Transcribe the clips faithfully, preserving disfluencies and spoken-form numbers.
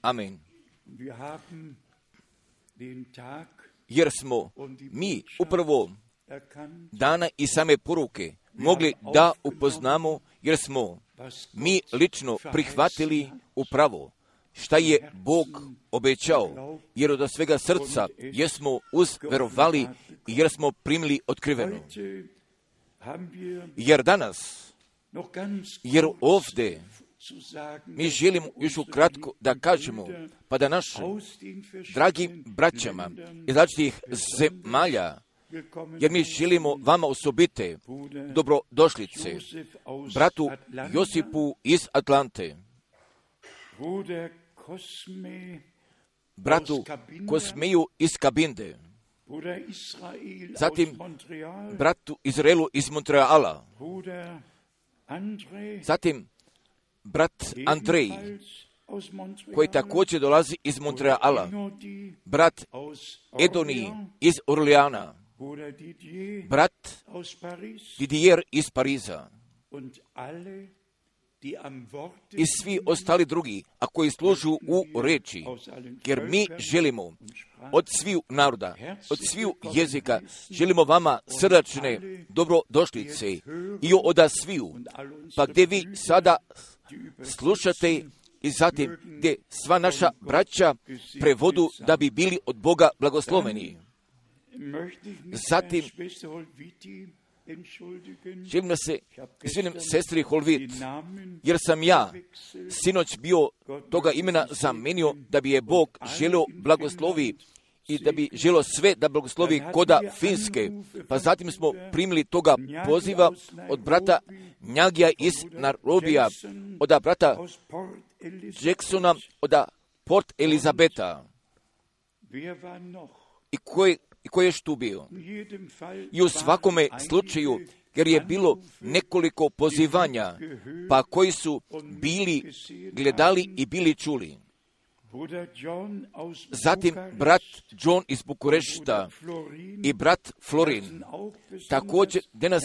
Amen. Jer smo mi upravo dana i same poruke mogli da upoznamo, jer smo mi lično prihvatili upravo šta je Bog obećao, jer od svega srca jesmo uzverovali i jer smo primili otkriveno. Jer danas, jer ovdje mi želimo još ukratko da kažemo, pa da našim dragim braćama iz različitih zemalja, jer mi želimo vama osobite dobrodošlice, bratu Josipu iz Atlante, bratu Kosmeju iz Kabinde, zatim bratu Izraelu iz Montreala, zatim brat Andrej, koji također dolazi iz Montreala, brat Edoniji iz Orleana, brat Didier iz Pariza i svi ostali drugi, a koji služu u reči, jer mi želimo od sviju naroda, od sviju jezika, želimo vama srdačne dobrodošlice i od sviju, pa gdje vi sada slušate i zatim gdje sva naša braća prevodu da bi bili od Boga blagosloveni. Zatim želim da se izvinim sestri Holvit, jer sam ja sinoć bio toga imena zamenio da bi je Bog želio blagoslovi i da bi želio sve da blagoslovi koda Finske. Pa zatim smo primili toga poziva od brata Njagija iz Nairobija, od brata Jacksona, od Port Elizabeta. I koji I koji je tu bio? I u svakome slučaju, jer je bilo nekoliko pozivanja, pa koji su bili gledali i bili čuli. Zatim brat John iz Bukurešta i brat Florin, također danas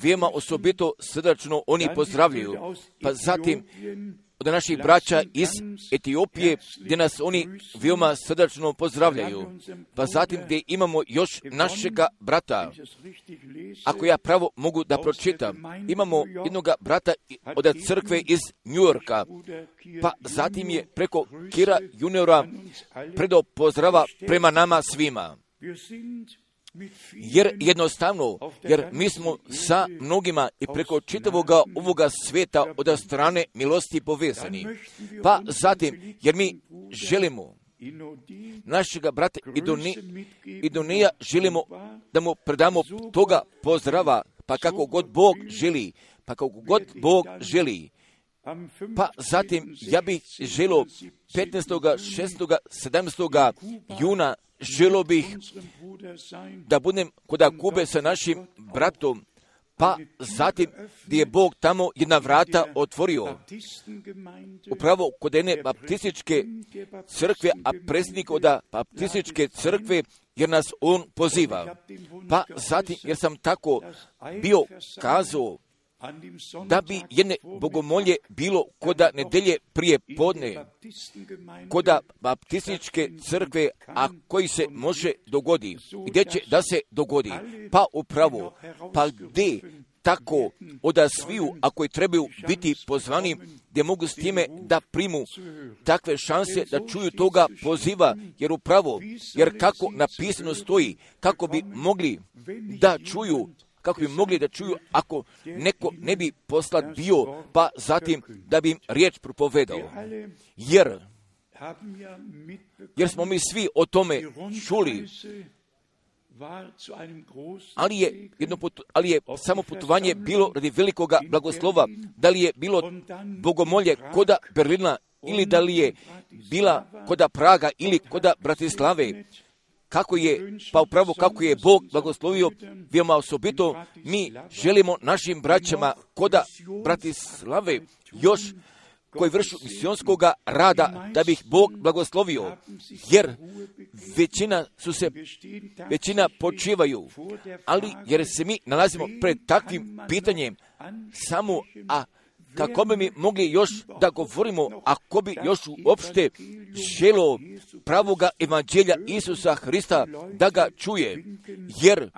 veoma osobito srdačno oni pozdravljaju. Pa zatim od naših braća iz Etiopije, gdje nas oni veoma srdačno pozdravljaju. Pa zatim gdje imamo još našega brata, ako ja pravo mogu da pročitam, imamo jednog brata od crkve iz New Yorka, pa zatim je preko Kira juniora predao pozdrava prema nama svima. Jer jednostavno, jer mi smo sa mnogima i preko čitavoga ovoga svijeta od strane milosti povezani. Pa zatim, jer mi želimo našega brata Idonija, želimo da mu predamo toga pozdrava, pa kako god Bog želi, pa kako god Bog želi. Pa zatim, ja bih želio petnaestog, šestog, sedamnaestog juna želio bih da budem kod Kube sa našim bratom, pa zatim gdje je Bog tamo jedna vrata otvorio, upravo kod jedne baptističke crkve, a predsjednik od baptističke crkve, jer nas on poziva. Pa zatim, jer sam tako bio kazao, da bi jedne bogomolje bilo koda nedelje prije podne, koda baptističke crkve, a koji se može dogodi. Gdje će da se dogodi? Pa upravo, pa gdje tako od sviju, a koji trebaju biti pozvani, gdje mogu s time da primu takve šanse da čuju toga poziva, jer upravo, jer kako napisano stoji, kako bi mogli da čuju, kako bi mogli da čuju ako neko ne bi poslat bio, pa zatim da bi im riječ propovedao. Jer, jer smo mi svi o tome čuli, ali je, jedno putu, ali je samo putovanje bilo radi velikoga blagoslova, da li je bilo bogomolje koda Berlina, ili da li je bila koda Praga, ili koda Bratislave. Kako je, pa upravo kako je Bog blagoslovio, veoma osobito, mi želimo našim braćama koda Bratislave još koji vršu misionskog rada, da bi ih Bog blagoslovio, jer većina su se, većina počivaju, ali jer se mi nalazimo pred takvim pitanjem, samo, a kako bi mi mogli još da govorimo, ako bi još uopšte želo pravoga evanđelja Isusa Hrista da ga čuje, jer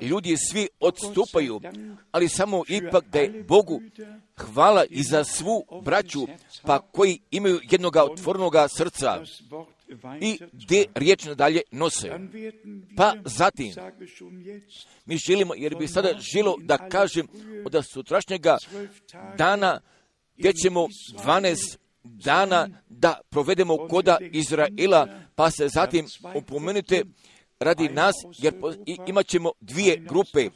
ljudi svi odstupaju, ali samo ipak da je Bogu hvala i za svu braću, pa koji imaju jednoga otvorenoga srca i gdje riječ nadalje nose. Pa zatim, mi želimo, jer bi sada želo da kažem od sutrašnjega dana, gdje ćemo dvanaest dana da provedemo koda Izraela, pa se zatim upomenute radi nas, jer imat ćemo dvije grupe,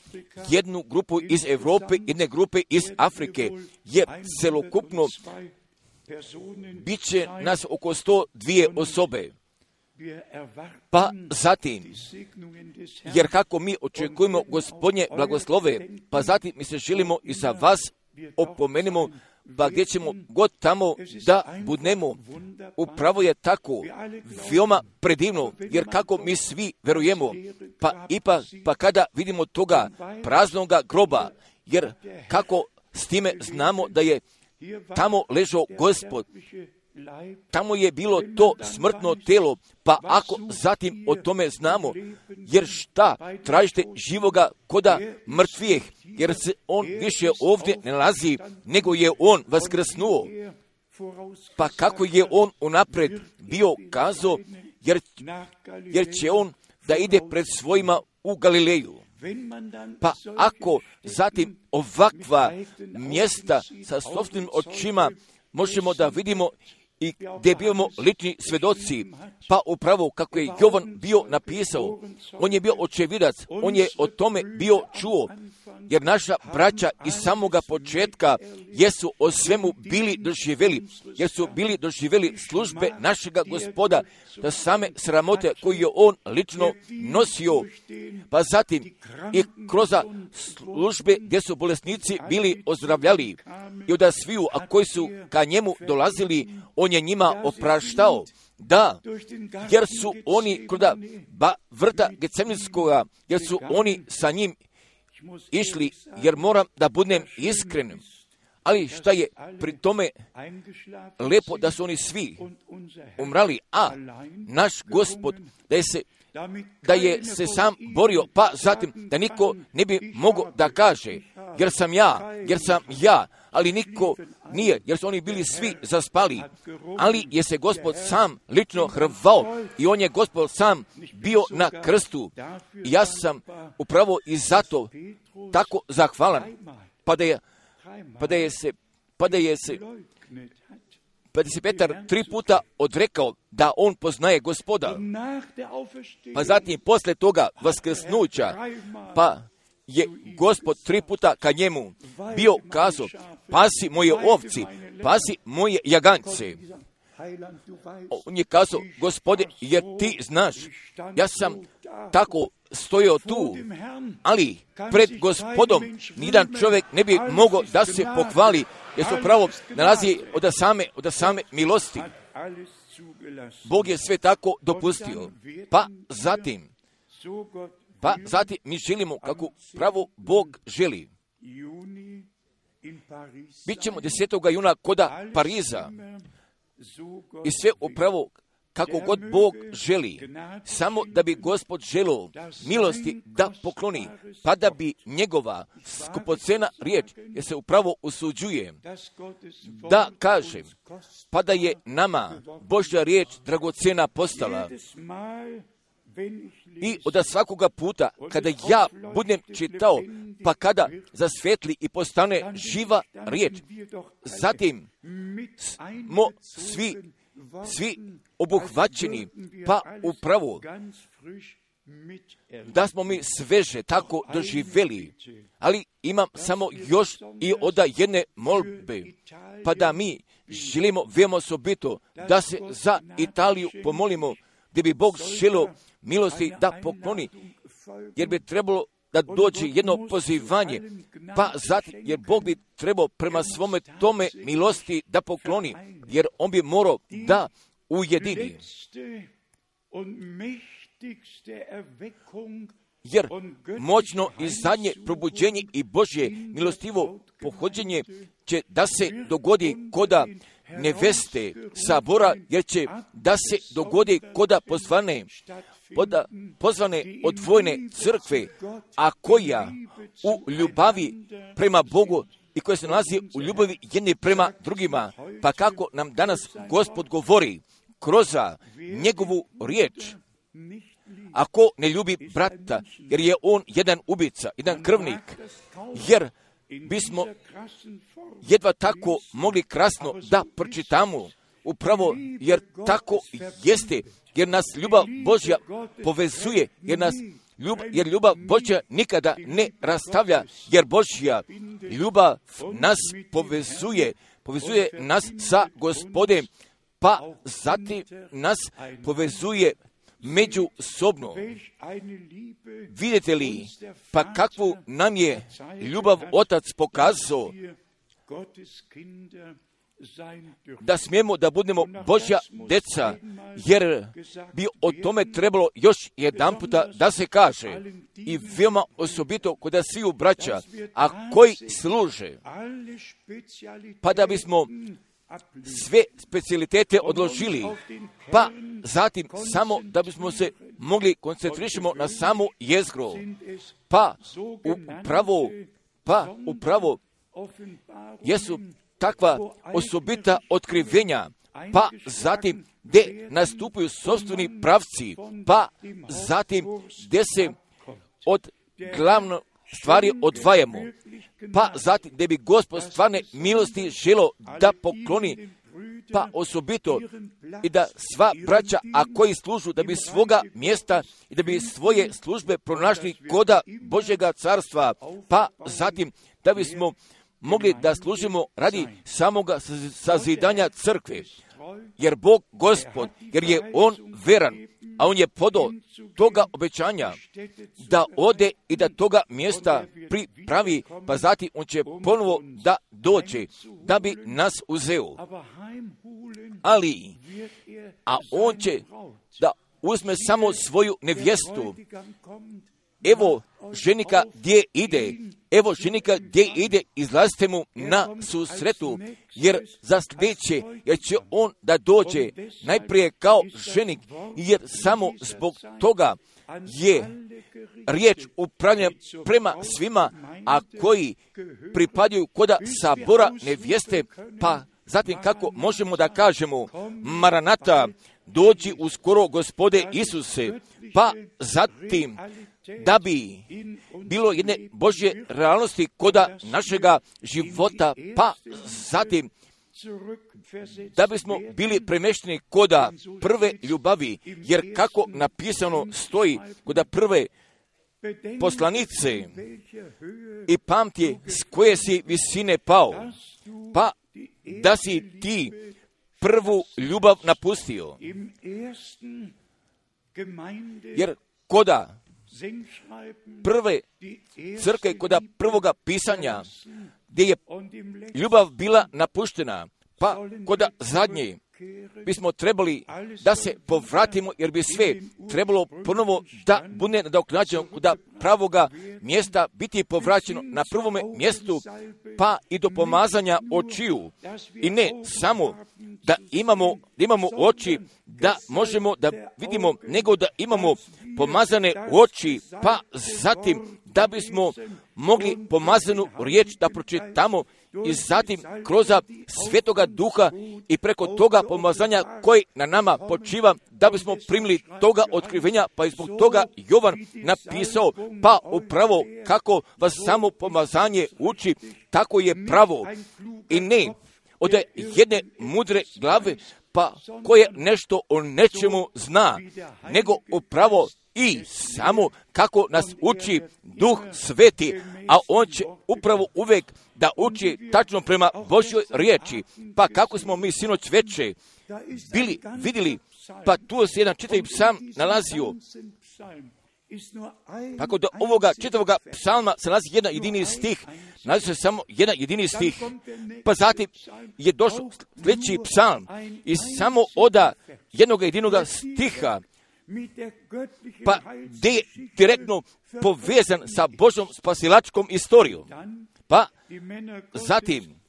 jednu grupu iz Europe, jedne grupe iz Afrike, jer celokupno bit će nas oko sto dvije osobe. Pa zatim, jer kako mi očekujemo Gospodnje blagoslove, pa zatim mi se želimo i za vas opomenemo, pa gdje ćemo god tamo da budemo, upravo je tako, veoma predivno, jer kako mi svi verujemo, pa ipak, pa kada vidimo toga praznoga groba, jer kako s time znamo da je tamo ležao Gospod, tamo je bilo to smrtno telo, pa ako zatim o tome znamo, jer šta tražite živoga koda mrtvijeh, jer se on više ovdje ne nalazi, nego je on vaskrsnuo. Pa kako je on unaprijed bio kazao, jer, jer će on da ide pred svojima u Galileju. Pa ako zatim ovakva mjesta sa sopstvenim očima možemo da vidimo i gdje bivamo lični svedoci, pa upravo kako je Jovan bio napisao, on je bio očevidac, on je o tome bio čuo, jer naša braća iz samoga početka jesu o svemu bili doživjeli, jer su bili doživjeli službe našega Gospoda, da same sramote koje je on lično nosio, pa zatim i kroz službe gdje su bolesnici bili ozdravljali i od sviju, a koji su ka njemu dolazili, on je njima opraštao. Da, jer su oni kod ba, vrta Getsemanskoga, jer su oni sa njim išli, jer moram da budem iskren. Ali šta je pri tome lepo da su oni svi umrali, a naš Gospod da je se, da je se sam borio, pa zatim da niko ne bi mogao da kaže, jer sam ja, jer sam ja, ali niko nije, jer su oni bili svi zaspali, ali je se Gospod sam lično hrvao i on je Gospod sam bio na krstu. I ja sam upravo i zato tako zahvalan, pa da je, pa da je se, pa da je se, pa da se Petar tri puta odrekao da on poznaje Gospoda, pa zatim posle toga vaskrsnuća, pa je Gospod tri puta ka njemu bio kazao, pasi moje ovci, pasi moje jagance. On je kazao, Gospode, jer ti znaš, ja sam tako stojao tu, ali pred Gospodom nijedan čovjek ne bi mogao da se pohvali, jer se pravo nalazi od same, od same milosti. Bog je sve tako dopustio. Pa zatim, pa zatim mi želimo kako pravo Bog želi. Bićemo desetog juna koda Pariza i sve upravo kako god Bog želi, samo da bi Gospod želio milosti da pokloni, pa da bi njegova skupocena riječ, jer se upravo usuđuje, da kažem, pa da je nama Božja riječ dragocena postala. I od svakoga puta, kada ja budem čitao, pa kada zasvetli i postane živa riječ, zatim smo svi, svi obuhvaćeni, pa upravo da smo mi sveže tako doživjeli. Ali imam samo još i od jedne molbe, pa da mi želimo veoma osobito da se za Italiju pomolimo, gdje bi Bog želio milosti da pokloni, jer bi trebalo da dođe jedno pozivanje, pa zatim, jer Bog bi trebao prema svome tome milosti da pokloni, jer on bi morao da ujedini. jer moćno i zadnje probuđenje i Božje milostivo pohođenje će da se dogodi koda neveste sabora, jer će da se dogodi koda pozvane, koda pozvane odvojne crkve, a koja u ljubavi prema Bogu i koja se nalazi u ljubavi jedni prema drugima. Pa kako nam danas Gospod govori kroz njegovu riječ, ako ne ljubi brata, jer je on jedan ubica, jedan krvnik, jer bismo jedva tako mogli krasno da pročitamo, upravo jer tako jeste, jer nas ljubav Božja povezuje, jer nas Ljub, jer ljubav Božja nikada ne rastavlja, jer Božja ljubav nas povezuje, povezuje nas sa Gospodem, pa zatim nas povezuje međusobno. Vidite li, pa kakvu nam je ljubav Otac pokazao, da smijemo da budemo Božja deca, jer bi o tome trebalo još jedan puta da se kaže, i veoma osobito kod sviju braća, a koji služe, pa da bismo sve specijalitete odložili, pa zatim samo da bismo se mogli koncentrišemo na samu jezgru, pa upravo, pa upravo jesu takva osobita otkrivenja, pa zatim gdje nastupaju sopstveni pravci, pa zatim gdje se od glavno stvari odvajamo, pa zatim gdje bi Gospod stvarne milosti želo da pokloni, pa osobito i da sva braća, a koji služu, da bi svoga mjesta i da bi svoje službe pronašli koda Božjega carstva, pa zatim da bismo mogli da služimo radi samoga sazidanja crkve, jer Bog Gospod, jer je On veran, a On je podao toga obećanja da ode i da toga mjesta pripravi, pa zatim On će ponovo da dođe, da bi nas uzeo. Ali, a On će da uzme samo svoju nevjestu. Evo ženika gdje ide, evo ženika gdje ide, izlazite mu na susretu, jer za sljedeće, jer će on da dođe najprije kao ženik, jer samo zbog toga je riječ upravljanja prema svima, a koji pripadaju koda sabora nevjeste, pa zatim kako možemo da kažemo, Maranata, dođi uskoro Gospode Isuse, pa zatim da bi bilo jedne Božje realnosti koda našega života, pa zatim da bismo bili premješteni koda prve ljubavi, jer kako napisano stoji koda prve poslanice, i pamti s koje si visine pao, pa da si ti prvu ljubav napustio. Jer koda prve crkve, koda prvoga pisanja, gdje je ljubav bila napuštena, pa koda zadnje bismo trebali da se povratimo, jer bi sve trebalo ponovo da bude nadoknađeno, da pravoga mjesta biti povraćeno na prvome mjestu, pa i do pomazanja očiju. I ne samo da imamo, da imamo oči, da možemo da vidimo, nego da imamo pomazane oči, pa zatim da bismo mogli pomazanu riječ da pročitamo, i zatim kroz Svetoga Duha i preko toga pomazanja koji na nama počiva, da bismo primili toga otkrivenja, pa i zbog toga Jovan napisao, pa upravo kako vas samo pomazanje uči, tako je pravo, i ne od jedne mudre glave, pa koje nešto o nečemu zna, nego upravo i samo kako nas uči Duh Sveti, a On će upravo uvijek da uči tačno prema Božjoj riječi. Pa kako smo mi sinoć veče bili vidjeli, pa tu se jedan čitavi psalm nalazio. Tako da ovoga čitavoga psalma se nalazi jedan jedini stih, nalazi se samo jedan jedini stih, pa zatim je došao sljedeći psalm i samo oda jednog jedinoga stiha pa gdje je direktno povezan sa Božom spasilačkom istorijom. Pa zatim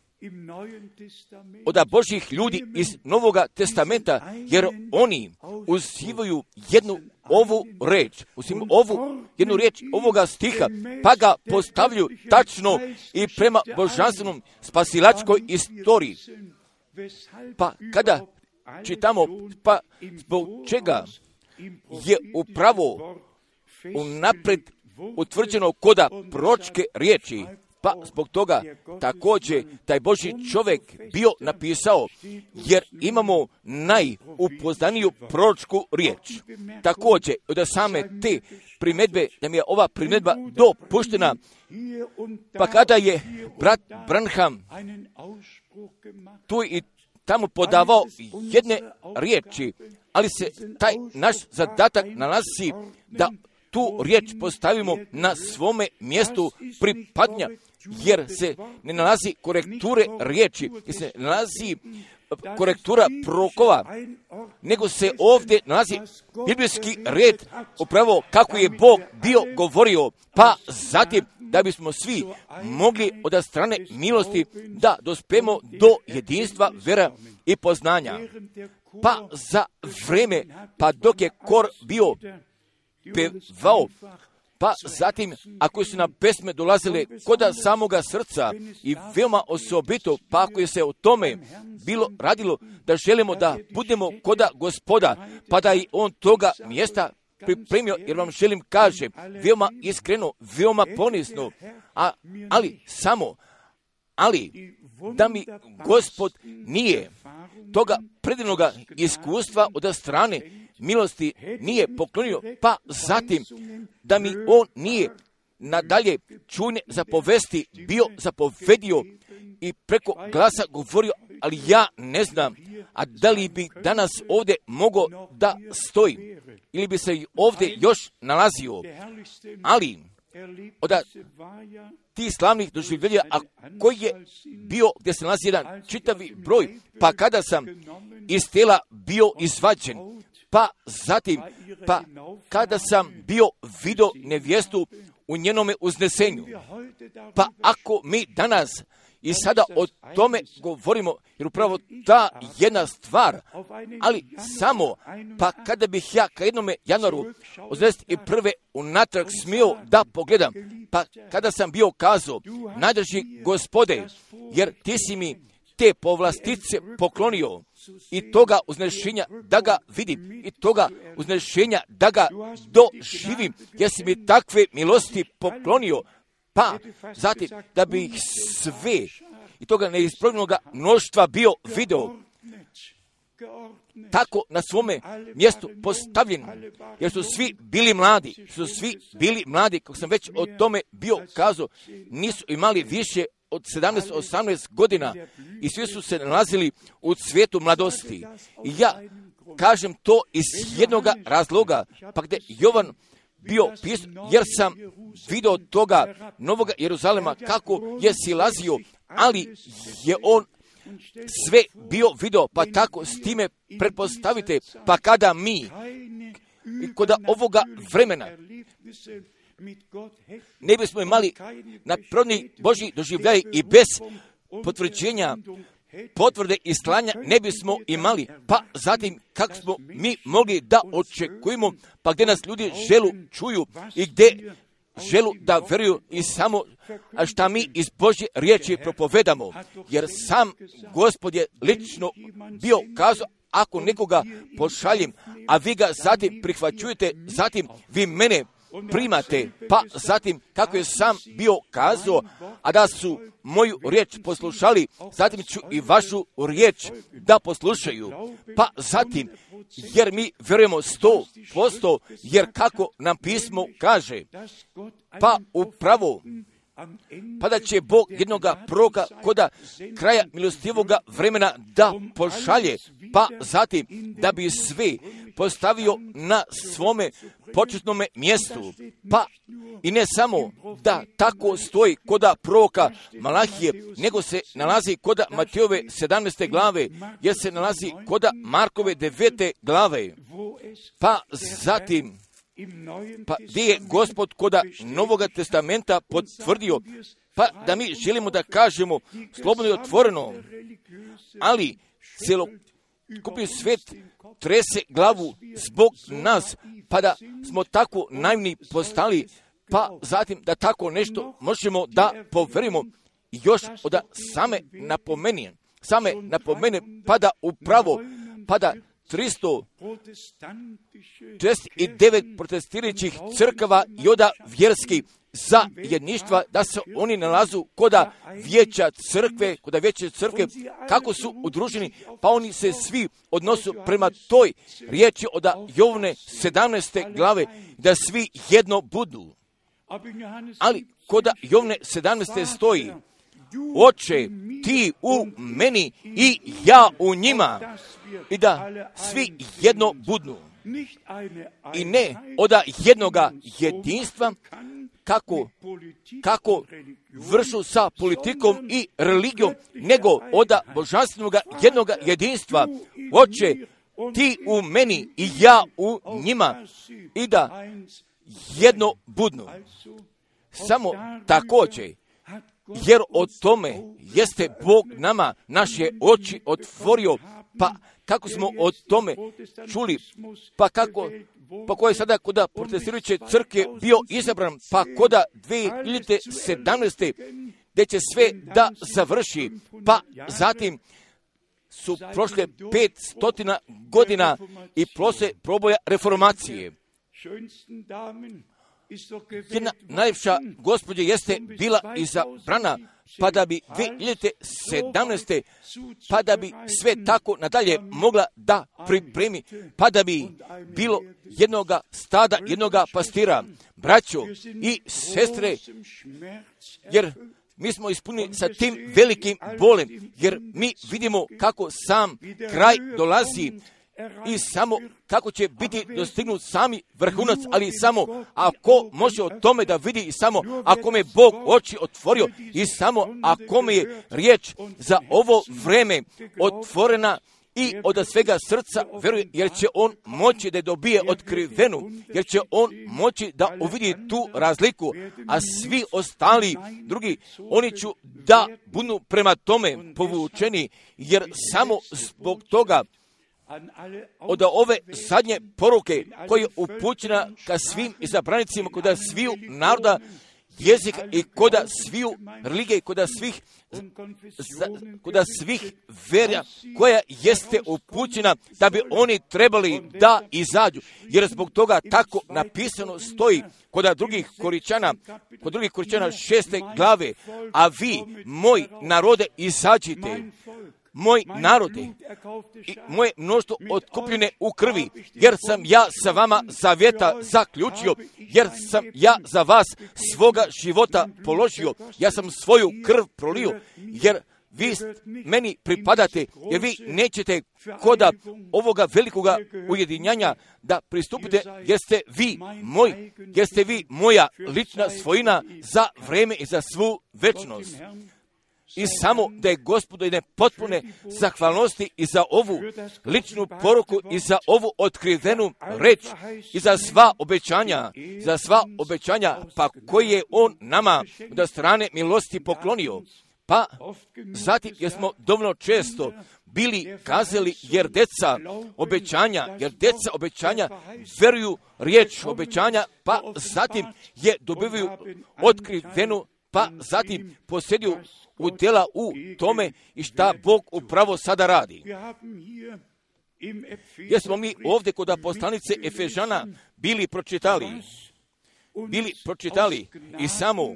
od Božih ljudi iz Novoga testamenta, jer oni uzivaju jednu ovu reč, uzimaju ovu jednu riječ ovoga stiha, pa ga postavljaju tačno i prema božanstvenom spasilačkoj istoriji. Pa kada čitamo, pa zbog čega je upravo unaprijed utvrđeno koda proročke riječi, pa zbog toga također taj Božji čovjek bio napisao, jer imamo najupoznaniju proročku riječ. Također, od same te primjedbe, da mi je ova primjedba dopuštena, pa kada je brat Branham tu i tamo podavao jedne riječi, ali se taj naš zadatak nalazi da tu riječ postavimo na svome mjestu pripadnja, jer se ne nalazi korekture riječi, jer se ne nalazi korektura prorokova, nego se ovdje nalazi biblijski red upravo kako je Bog bio govorio, pa zatim da bismo svi mogli od strane milosti da dospemo do jedinstva vera i poznanja. Pa za vreme, pa dok je kor bio pevao, pa zatim ako su nam pesme dolazile koda samoga srca i veoma osobito, pa ako je se o tome bilo radilo da želimo da budemo koda Gospoda, pa da i on toga mjesta pripremio, jer vam želim kaže, veoma iskreno, veoma ponisno, a, ali samo, ali da mi Gospod nije toga predivnoga iskustva od strane milosti nije poklonio, pa zatim da mi on nije nadalje čujne zapovesti bio zapovedio i preko glasa govorio, ali ja ne znam, a da li bi danas ovdje mogao da stoji, ili bi se ovdje još nalazio, ali od tih slavnih doživljenja, a koji je bio gdje se nalazi jedan čitavi broj, pa kada sam iz tela bio izvađen, pa zatim, pa kada sam bio vidio nevjestu u njenome uznesenju, pa ako mi danas i sada o tome govorimo, jer upravo ta jedna stvar, ali samo, pa kada bih ja ka jednome januaru osamdeset prve unatrag smio da pogledam, pa kada sam bio kazao, najdrži Gospode, jer ti si mi te povlastice poklonio i toga uznešenja da ga vidim i toga uznešenja da ga doživim, jer si mi takve milosti poklonio, pa zatim da bi ih sve i toga neispravljenoga mnoštva bio video tako na svome mjestu postavljeni, jer su svi bili mladi, su svi bili mladi, kako sam već o tome bio kazao, nisu imali više od sedamnaest osamnaest godina i svi su se nalazili u cvijetu mladosti. I ja kažem to iz jednoga razloga, pa gdje Jovan bio pisao, jer sam vidio toga Novoga Jeruzalema kako je silazio, ali je on sve bio video, pa tako s time pretpostavite, pa kada mi kod ovoga vremena ne bismo imali nadprirodni Božji doživljaj i bez potvrđenja potvrde i slanja ne bismo imali, pa zatim kako smo mi mogli da očekujemo, pa gdje nas ljudi želu čuju i gdje želu da vjeruju i samo a šta mi iz Božje riječi propovedamo, jer sam Gospod je lično bio kazao, ako nekoga pošaljem, a vi ga zatim prihvaćujete, zatim vi mene primate, pa zatim kako je sam bio kazao, a da su moju riječ poslušali, zatim ću i vašu riječ da poslušaju, pa zatim, jer mi vjerujemo sto posto, jer kako nam pismo kaže, pa upravo pa da će Bog jednoga proroka koda kraja milostivoga vremena da pošalje, pa zatim da bi sve postavio na svome početnome mjestu. Pa i ne samo da tako stoji koda proroka Malahije, nego se nalazi koda Matejove sedamnaeste glave, jer se nalazi koda Markove devete glave. Pa zatim, pa gdje je Gospod koda Novoga testamenta potvrdio, pa da mi želimo da kažemo slobodno i otvoreno, ali cjelokupni svijet trese glavu zbog nas, pa da smo tako naivni postali, pa zatim da tako nešto možemo da poverimo. Još od same napomene, same napomene, pa da upravo, pa da tristo četrdeset devet protestirajućih crkava i oda vjerskih zajedništva, da se oni nalazu koda vijeća crkve, koda vijeća crkve, kako su udruženi, pa oni se svi odnosu prema toj riječi od Jovne sedamnaeste glave, da svi jedno budu. Ali koda Jovne sedamnaeste stoji, Oče, ti u meni i ja u njima, i da svi jedno budu. I ne od jednoga jedinstva, kako, kako vršu sa politikom i religijom, nego od božanstvenog jednoga jedinstva. Oče, ti u meni i ja u njima, i da jedno budu. Samo također, jer o tome jeste Bog nama naše oči otvorio, pa kako smo o tome čuli, pa kako, pa ko je sada koda protestirajuće crkve bio izabran, pa koda dvije hiljade sedamnaeste gdje će sve da završi, pa zatim su prošle pet stotina godina i prošle proboja reformacije. Jedna najljepša gospođa jeste bila izabrana, pa da bi dvije hiljade sedamnaeste pa da bi sve tako nadalje mogla da pripremi, pa da bi bilo jednoga stada, jednoga pastira, braćo i sestre, jer mi smo ispunili sa tim velikim bolem, jer mi vidimo kako sam kraj dolazi i samo kako će biti dostignut sami vrhunac, ali samo ako može o tome da vidi, i samo ako me Bog oči otvorio, i samo ako me je riječ za ovo vreme otvorena i od svega srca veruje, jer će on moći da dobije otkrivenu, jer će on moći da uvidi tu razliku, a svi ostali drugi, oni ću da budu prema tome povučeni, jer samo zbog toga od ove zadnje poruke koja je upućena ka svim izabranicima, koda sviju naroda, jezika i koda sviju religije, koda svih, koda svih vera koja jeste upućena, da bi oni trebali da izađu. Jer zbog toga tako napisano stoji koda drugih Koričana, kod drugih Koričana šeste glave, a vi, moj narode, izađite. Moj narode i moje mnoštvo otkupljene u krvi, jer sam ja sa vama zavjeta zaključio, jer sam ja za vas svoga života položio, ja sam svoju krv prolio, jer vi meni pripadate, jer vi nećete koda ovoga velikoga ujedinjanja da pristupite, jer ste vi moj, jer ste vi moja lična svojina za vreme i za svu večnost. I samo da je Gospodu jedne potpune zahvalnosti i za ovu ličnu poruku i za ovu otkrivenu reč i za sva obećanja, za sva obećanja pa koje je on nama od strane milosti poklonio. Pa zatim jer smo dovoljno često bili kazali, jer deca obećanja, jer deca obećanja veruju riječ obećanja, pa zatim je dobivaju otkrivenu, pa zatim posjeduju udjela u tome i šta Bog upravo sada radi. Jer smo mi ovdje kod poslanice Efežana bili pročitali, bili pročitali i samo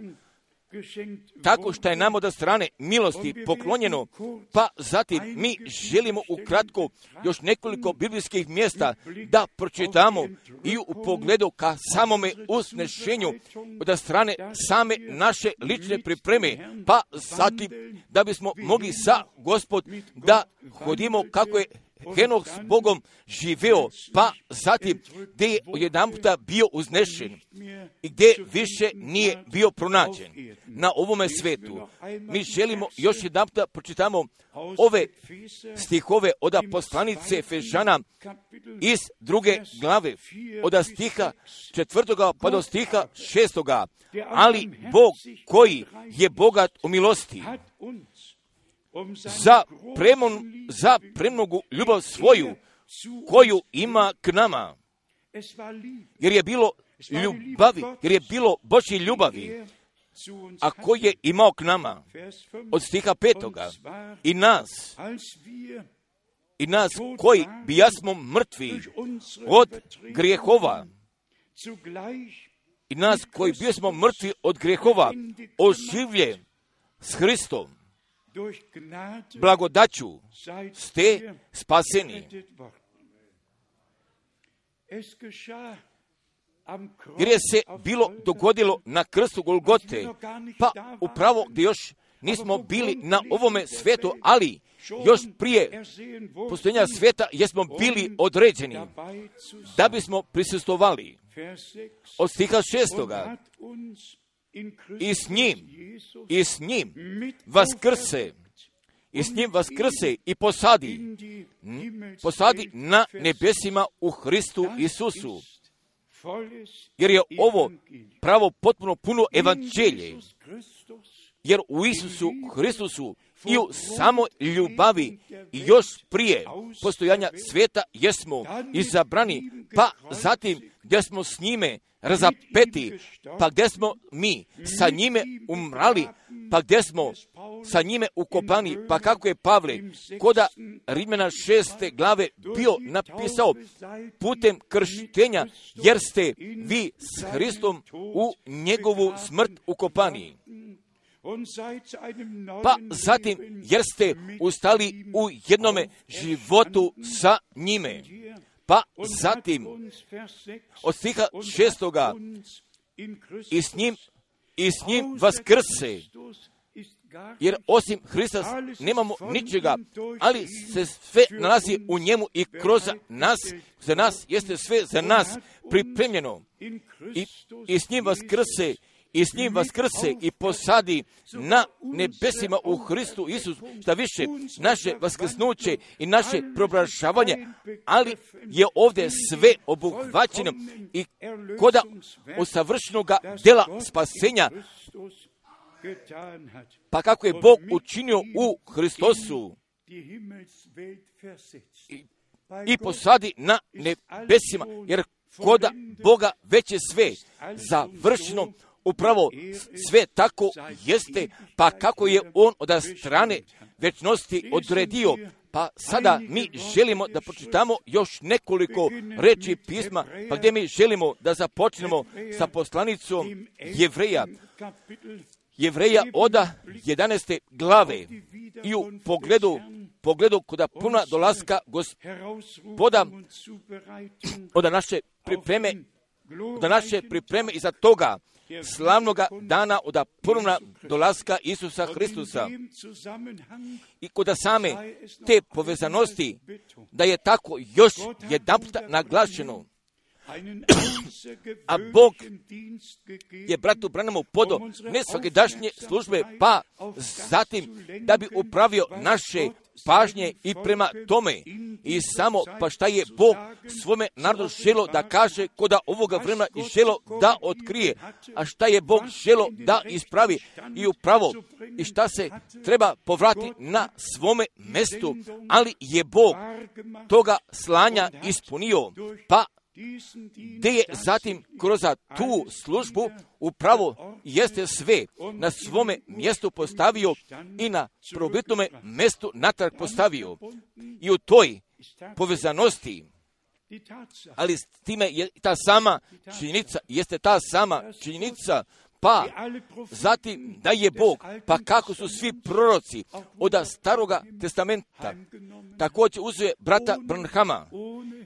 tako što je nam od strane milosti poklonjeno, pa zatim mi želimo ukratko još nekoliko biblijskih mjesta da pročitamo i u pogledu ka samome usnešenju od strane same naše lične pripreme, pa zatim da bismo mogli sa Gospod da hodimo kako je Henoh s Bogom živeo, pa zatim gdje je jedan puta bio uznešen i gdje više nije bio pronađen na ovome svetu. Mi želimo još jedan puta pročitamo ove stihove od poslanice Efežana iz druge glave, od stiha četvrtoga pa do stiha šestoga. Ali Bog koji je bogat u milosti, za, premon, za premnogu ljubav svoju koju ima k nama, jer je bilo ljubavi, jer je bilo Božje ljubavi, a koji je imao k nama, od stiha petoga, i nas, i nas koji bijasmo mrtvi od grijehova, i nas koji bijasmo mrtvi od grijehova, oživlje s Hristom, blagodaću ste spaseni. Jer je se bilo dogodilo na krstu Golgote, pa upravo gdje još nismo bili na ovome svetu, ali još prije postojanja sveta jesmo bili određeni da bismo prisustvovali. Od stiha šestoga, i s njim, i s njim vaskrse, i s njim vaskrse i posadi, posadi na nebesima u Hristu Isusu. Jer je ovo pravo potpuno puno evanđelje, jer u Isusu Hristusu i u samo ljubavi i još prije postojanja sveta jesmo izabrani, pa zatim gdje smo s njime razapeti, pa gdje smo mi sa njime umrali, pa gdje smo sa njime ukopani, pa kako je Pavle koda Rimljana šeste glave bio napisao, putem krštenja, jer ste vi s Hristom u njegovu smrt ukopani. Pa zatim, jer ste ustali u jednome životu sa njime. Pa zatim, od stiha šestoga, i s njim, i s njim vaskrse, jer osim Hrista nemamo ničega, ali se sve nalazi u njemu i kroz nas, za nas jeste sve za nas pripremljeno. I, i s njim vaskrse, i s njim vaskrse i posadi na nebesima u Hristu Isusu, šta više naše vaskrsnuće i naše preobražavanje, ali je ovdje sve obuhvaćeno i koda usavršenoga dela spasenja, pa kako je Bog učinio u Hristosu i, i posadi na nebesima, jer koda Boga već je sve završeno. Upravo sve tako jeste, pa kako je on od strane večnosti odredio. Pa sada mi želimo da pročitamo još nekoliko reči pisma, pa gdje mi želimo da započnemo sa poslanicom Jevreja. Jevreja od jedanaeste glave i u pogledu, pogledu koda puna dolaska Gospoda od naše pripreme, od naše pripreme iza toga slavnoga dana od ponovna dolaska Isusa Hristusa. I kod same te povezanosti, da je tako još jedanput naglašeno, a Bog je bratu Branhamu podo ne svakidašnje službe, pa zatim da bi upravio naše pažnje i prema tome. I samo pa šta je Bog svome narodu želo da kaže koda ovoga vremena i želo da otkrije, a šta je Bog želo da ispravi i upravo i šta se treba povrati na svome mestu, ali je Bog toga slanja ispunio, pa gdje je zatim kroz tu službu upravo jeste sve na svome mjestu postavio i na prvobitnome mjestu natrag postavio. I u toj povezanosti, ali s time je ta sama činjenica, jeste ta sama činjenica pa zatim da je Bog, pa kako su svi proroci od Staroga testamenta također uzeo brata Branhama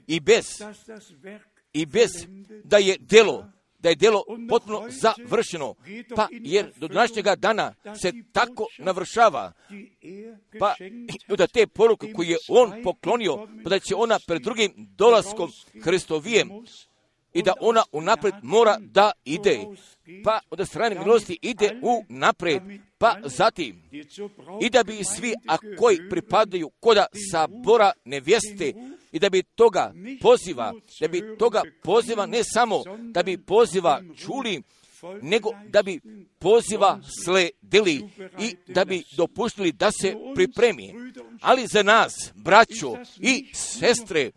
i bez, i bez da je delo, da je delo potpuno završeno, pa jer do današnjega dana se tako navršava, pa da te poruke koje je on poklonio, pa da će ona pred drugim dolaskom Hristovijem i da ona unaprijed mora da ide, pa od strane milosti ide u naprijed, pa zatim i da bi svi, a koji pripadaju koda sabora nevjeste, i da bi toga poziva, da bi toga poziva ne samo da bi poziva čuli, nego da bi poziva sledili i da bi dopustili da se pripremi. Ali za nas, braćo i sestre,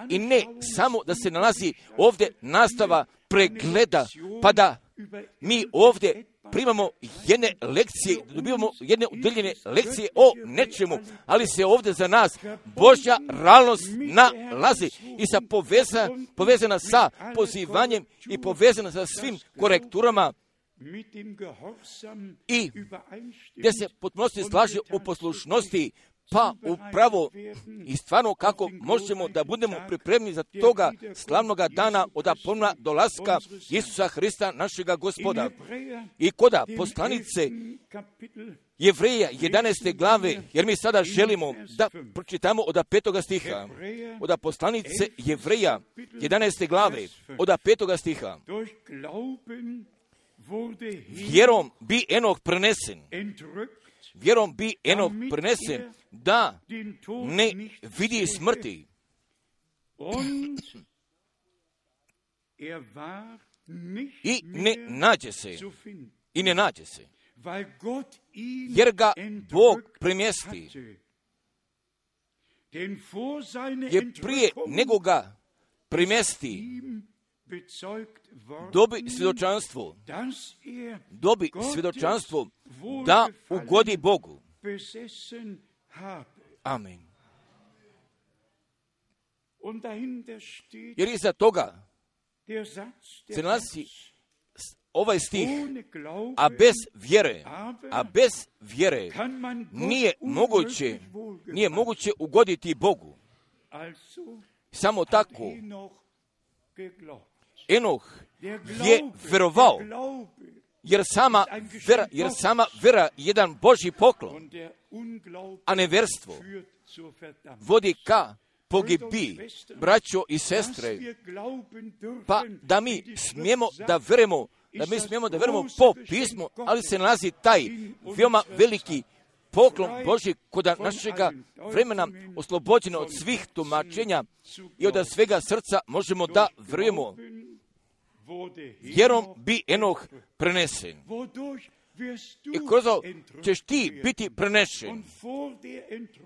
i ne samo da se nalazi ovdje nastava pregleda, pa da mi ovdje primamo jedne lekcije, dobivamo jedne udeljene lekcije o nečemu, ali se ovdje za nas Božja realnost nalazi i sa poveza, povezana sa pozivanjem i povezana sa svim korekturama i gdje se potpunosti slaže u poslušnosti, pa upravo i stvarno kako možemo da budemo pripremni za toga slavnoga dana od ponovnog dolaska Isusa Hrista našega Gospoda. I koda poslanice Jevreja jedanaeste glave, jer mi sada želimo da pročitamo od petoga stiha, od poslanice Jevreja jedanaeste glave, od petoga stiha. Vjerom bi Enoh prenesen, vjerom bi Enoh prenesen da ne vidi smrti. I ne nađe se, i ne nađe se, jer ga Bog premjesti. Jer prije nego ga premjesti, dobi svjedočanstvo, dobi svjedočanstvo da ugodi Bogu. Amen. Jer iza toga se nalazi ovaj stih, a bez vjere, a bez vjere nije moguće, nije moguće ugoditi Bogu. Samo tako Enoh je verovao, jer sama vera, jer sama vera jedan Božji poklon, a neverstvo vodi ka pogibi, braćo i sestre. Pa da mi smijemo da verujemo, da mi smijemo da verujemo po pismu, ali se nalazi taj veoma veliki poklon Božji kod našega vremena oslobođeno od svih tumačenja i od svega srca možemo da verujemo. Vjerom bi Enoh prenesen. I kroz ovo ćeš ti biti prenešen.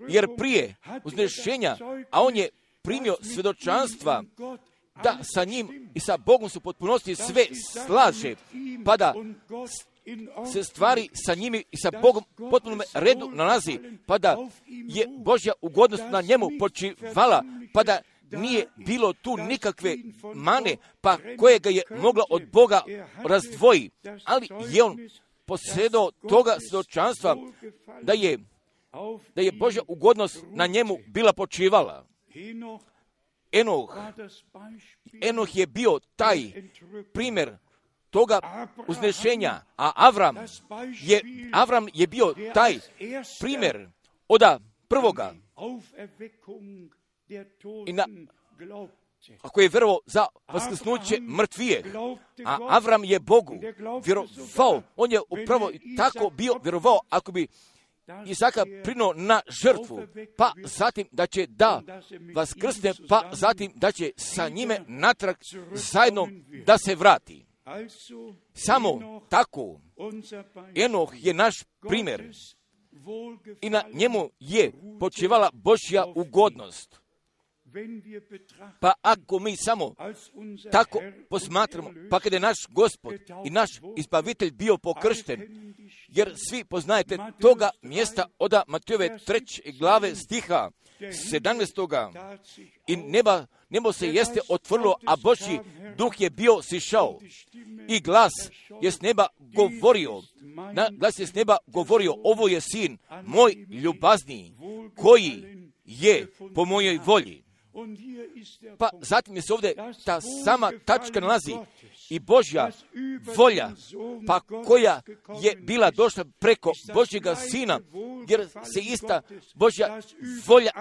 Jer prije uznešenja, a on je primio svjedočanstva da sa njim i sa Bogom su potpunosti sve slaže, pa da se stvari sa njimi i sa Bogom potpunom redu nalazi, pa da je Božja ugodnost na njemu počivala, pa da nije bilo tu nikakve mane, pa kojega je mogla od Boga razdvoji, ali je on posjedao toga svjedočanstva da je, da je Božja ugodnost na njemu bila počivala. Enoh, Enoh je bio taj primjer toga uznešenja, a Avram je, Avram je bio taj primjer oda prvoga i na, ako je vjerovao za vaskrsnuće mrtvije, a Avram je Bogu vjerovao, on je upravo tako bio vjerovao, ako bi Izaka prinuo na žrtvu, pa zatim da će da vaskrsne, pa zatim da će sa njime natrag zajedno da se vrati. Samo tako Enoh je naš primjer i na njemu je počivala Božja ugodnost. Pa ako mi samo tako posmatramo, pa kada je naš Gospod i naš Izbavitelj bio pokršten, jer svi poznajete toga mjesta od Matejove treće glave stiha sedamnaestoga. I neba, nebo se jeste otvorilo, a Božji duh je bio sišao. I glas je s neba govorio, na, glas je s neba govorio, ovo je sin moj ljubazniji, koji je po mojoj volji. Pa zatim je se ovdje ta sama tačka nalazi i Božja volja, pa koja je bila došla preko Božjega sina, jer se ista Božja volja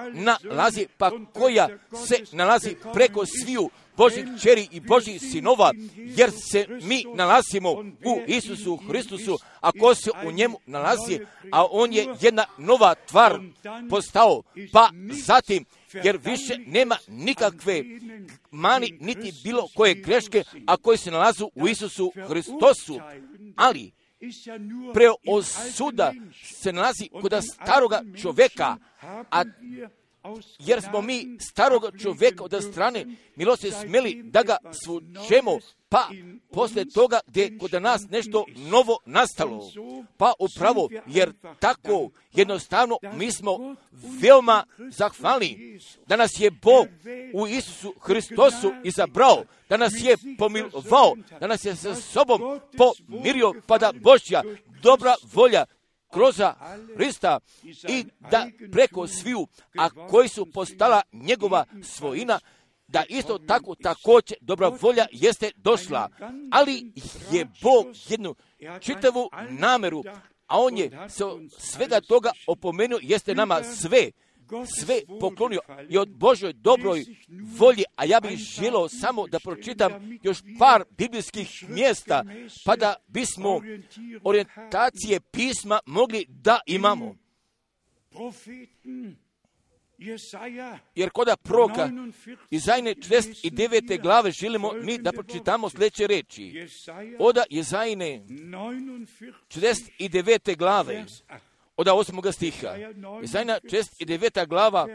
nalazi, pa koja se nalazi preko sviju Božjih kćeri i Božjih sinova, jer se mi nalazimo u Isusu Hristusu, a ko se u njemu nalazi, a on je jedna nova tvar postao, pa zatim, jer više nema nikakve mani, niti bilo koje greške, a koji se nalazu u Isusu Hristosu, ali preosuda se nalazi kod staroga čovjeka, a jer smo mi starog čovjeka od strane milosti smjeli da ga svučemo, pa poslije toga gdje je kod nas nešto novo nastalo. Pa upravo, jer tako jednostavno mi smo veoma zahvalni da nas je Bog u Isusu Hristosu izabrao, da nas je pomilovao, da nas je sa sobom pomirio, pa da Božja dobra volja kroz Hrista i da preko sviju, a koji su postala njegova svojina, da isto tako također dobra volja jeste došla. Ali je Bog jednu čitavu nameru, a on je se svega toga opomenuo, jeste nama sve, sve poklonio i od Božoj dobroj volji, a ja bih želio samo da pročitam još par biblijskih mjesta, pa da bismo orijentacije pisma mogli da imamo. Jer koda proroka Izajine četrdeset devete glave želimo mi da pročitamo sljedeće reči. Oda Izajine četrdeset devete glave od osmoga stiha. Izajina četrdeset deveta glava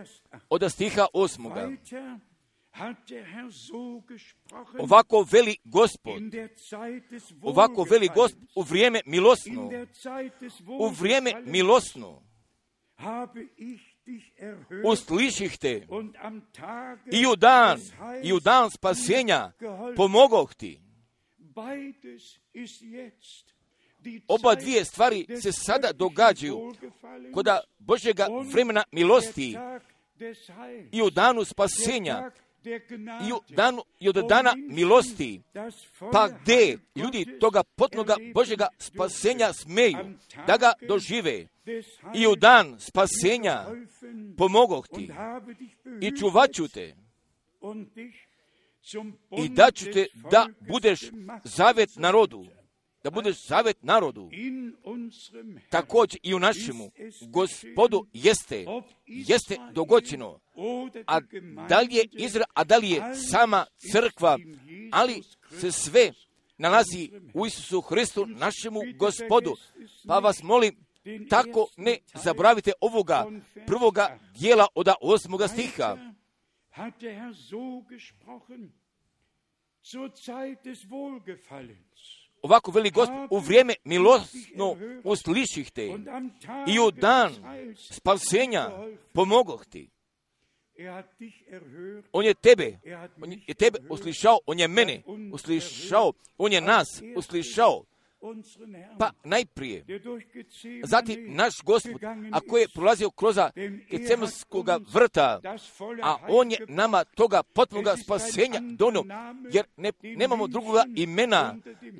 od stiha osmoga. Ovako veli Gospod, ovako veli Gospod u vrijeme milosno, u vrijeme milosno, usliših te i u dan, i u dan spasenja pomogoh ti. Oba dvije stvari se sada događaju koda Božjega vremena milosti i u danu spasenja i u danu i od dana milosti, pa gdje ljudi toga potnoga Božjega spasenja smeju da ga dožive i u dan spasenja pomogoh ti i čuvat ću te i daću te da budeš zavet narodu, da budeš zavet narodu. Također i u našemu Gospodu jeste, jeste dogođeno, a da li je Izrael, a da li je sama crkva, ali se sve nalazi u Isusu Hristu, našemu Gospodu. Pa vas molim, tako ne zaboravite ovoga prvoga dijela od osmoga stiha. Ovako veli Gospod, u vrijeme milosno usliših te i u dan spasenja pomogoh ti. On je tebe, on je tebe uslišao, on je mene uslišao, on je nas uslišao. Pa najprije, zatim naš Gospod, a koji je prolazio kroz Getsemanskoga vrta, a on je nama toga potpunoga spasenja donio, jer ne, nemamo drugoga imena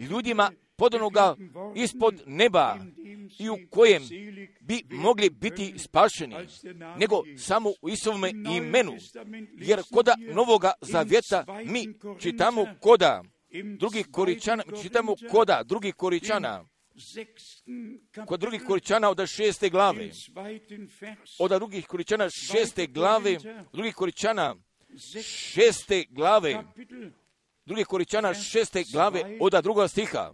ljudima podanoga ispod neba i u kojem bi mogli biti spašeni, nego samo u Isovome imenu, jer koda Novoga Zavjeta mi čitamo koda drugih Koričana, čitamo koda drugih Koričana, kod drugih Koričana od šeste glave, od drugih Koričana šeste glave, drugih Koričana šeste glave, drugih Koričana šeste glave od drugoga stiha,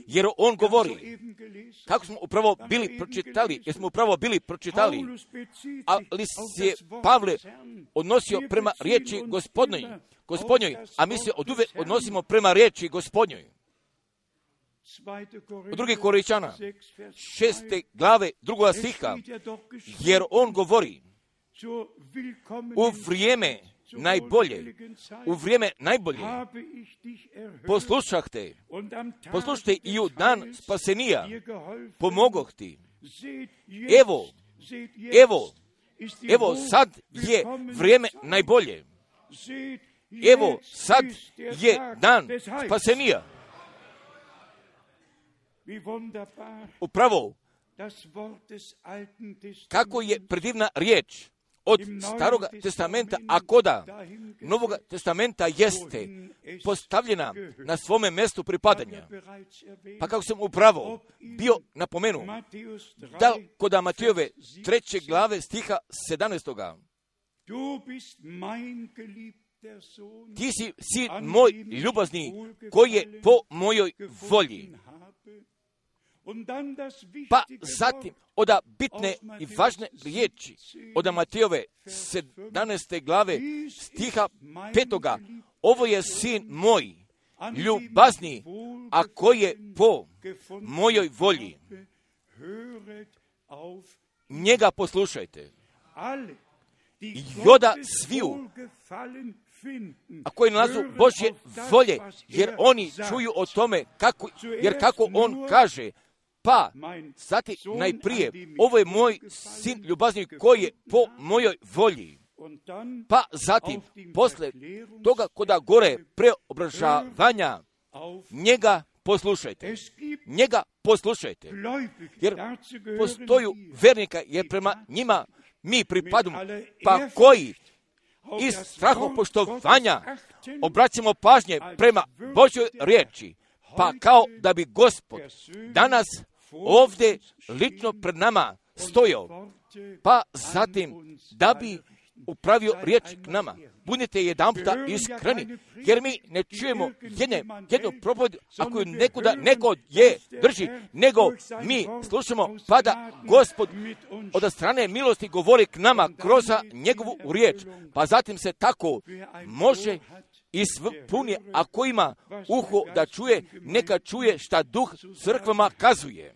jer on govori, kako smo upravo bili pročitali, jer smo upravo bili pročitali, ali se Pavle odnosio prema riječi gospodnoj, gospodnjoj, a mi se oduvijek odnosimo prema riječi gospodnjoj. u drugi Korinčana, šeste glave, drugoga stiha, jer on govori u vrijeme najbolje, u vrijeme najbolje, poslušah te, poslušajte i u dan spasenija, pomogoh ti. Evo, evo, evo sad je vrijeme najbolje. Evo sad je dan spasenija. Upravo, kako je predivna riječ od Starog testamenta, a koda Novog testamenta jeste postavljena na svome mjestu pripadanja. Pa kako sam upravo bio napomenu, da koda Matijove treće glave stiha sedamnaestoga. Ti si sin moj ljubazni, koji je po mojoj volji. Pa zatim, oda bitne i važne riječi, oda Matijove sedamnaeste glave, stiha petoga, ovo je sin moj, ljubazni, a koji je po mojoj volji. Njega poslušajte. I oda sviju, a koji nalazu Božje volje, jer oni čuju o tome, kako, jer kako on kaže, pa, zatim najprije, ovo je moj sin ljubazni koji je po mojoj volji. Pa zatim, posle toga koda gore preobražavanja, njega poslušajte. Njega poslušajte. Jer postoju vernika, jer prema njima mi pripadamo, pa koji iz strahopoštovanja obraćamo pažnje prema Božjoj riječi, pa kao da bi Gospod danas ovdje lično pred nama stojao, pa zatim da bi upravio riječ k nama. Budite jedanputa iskreni, jer mi ne čujemo jedne, jednu propoved, ako ju nekuda neko je drži, nego mi slušamo, pa da Gospod od strane milosti govori k nama kroz njegovu riječ, pa zatim se tako može ispunje, ako ima uho da čuje, neka čuje šta duh crkvama kazuje.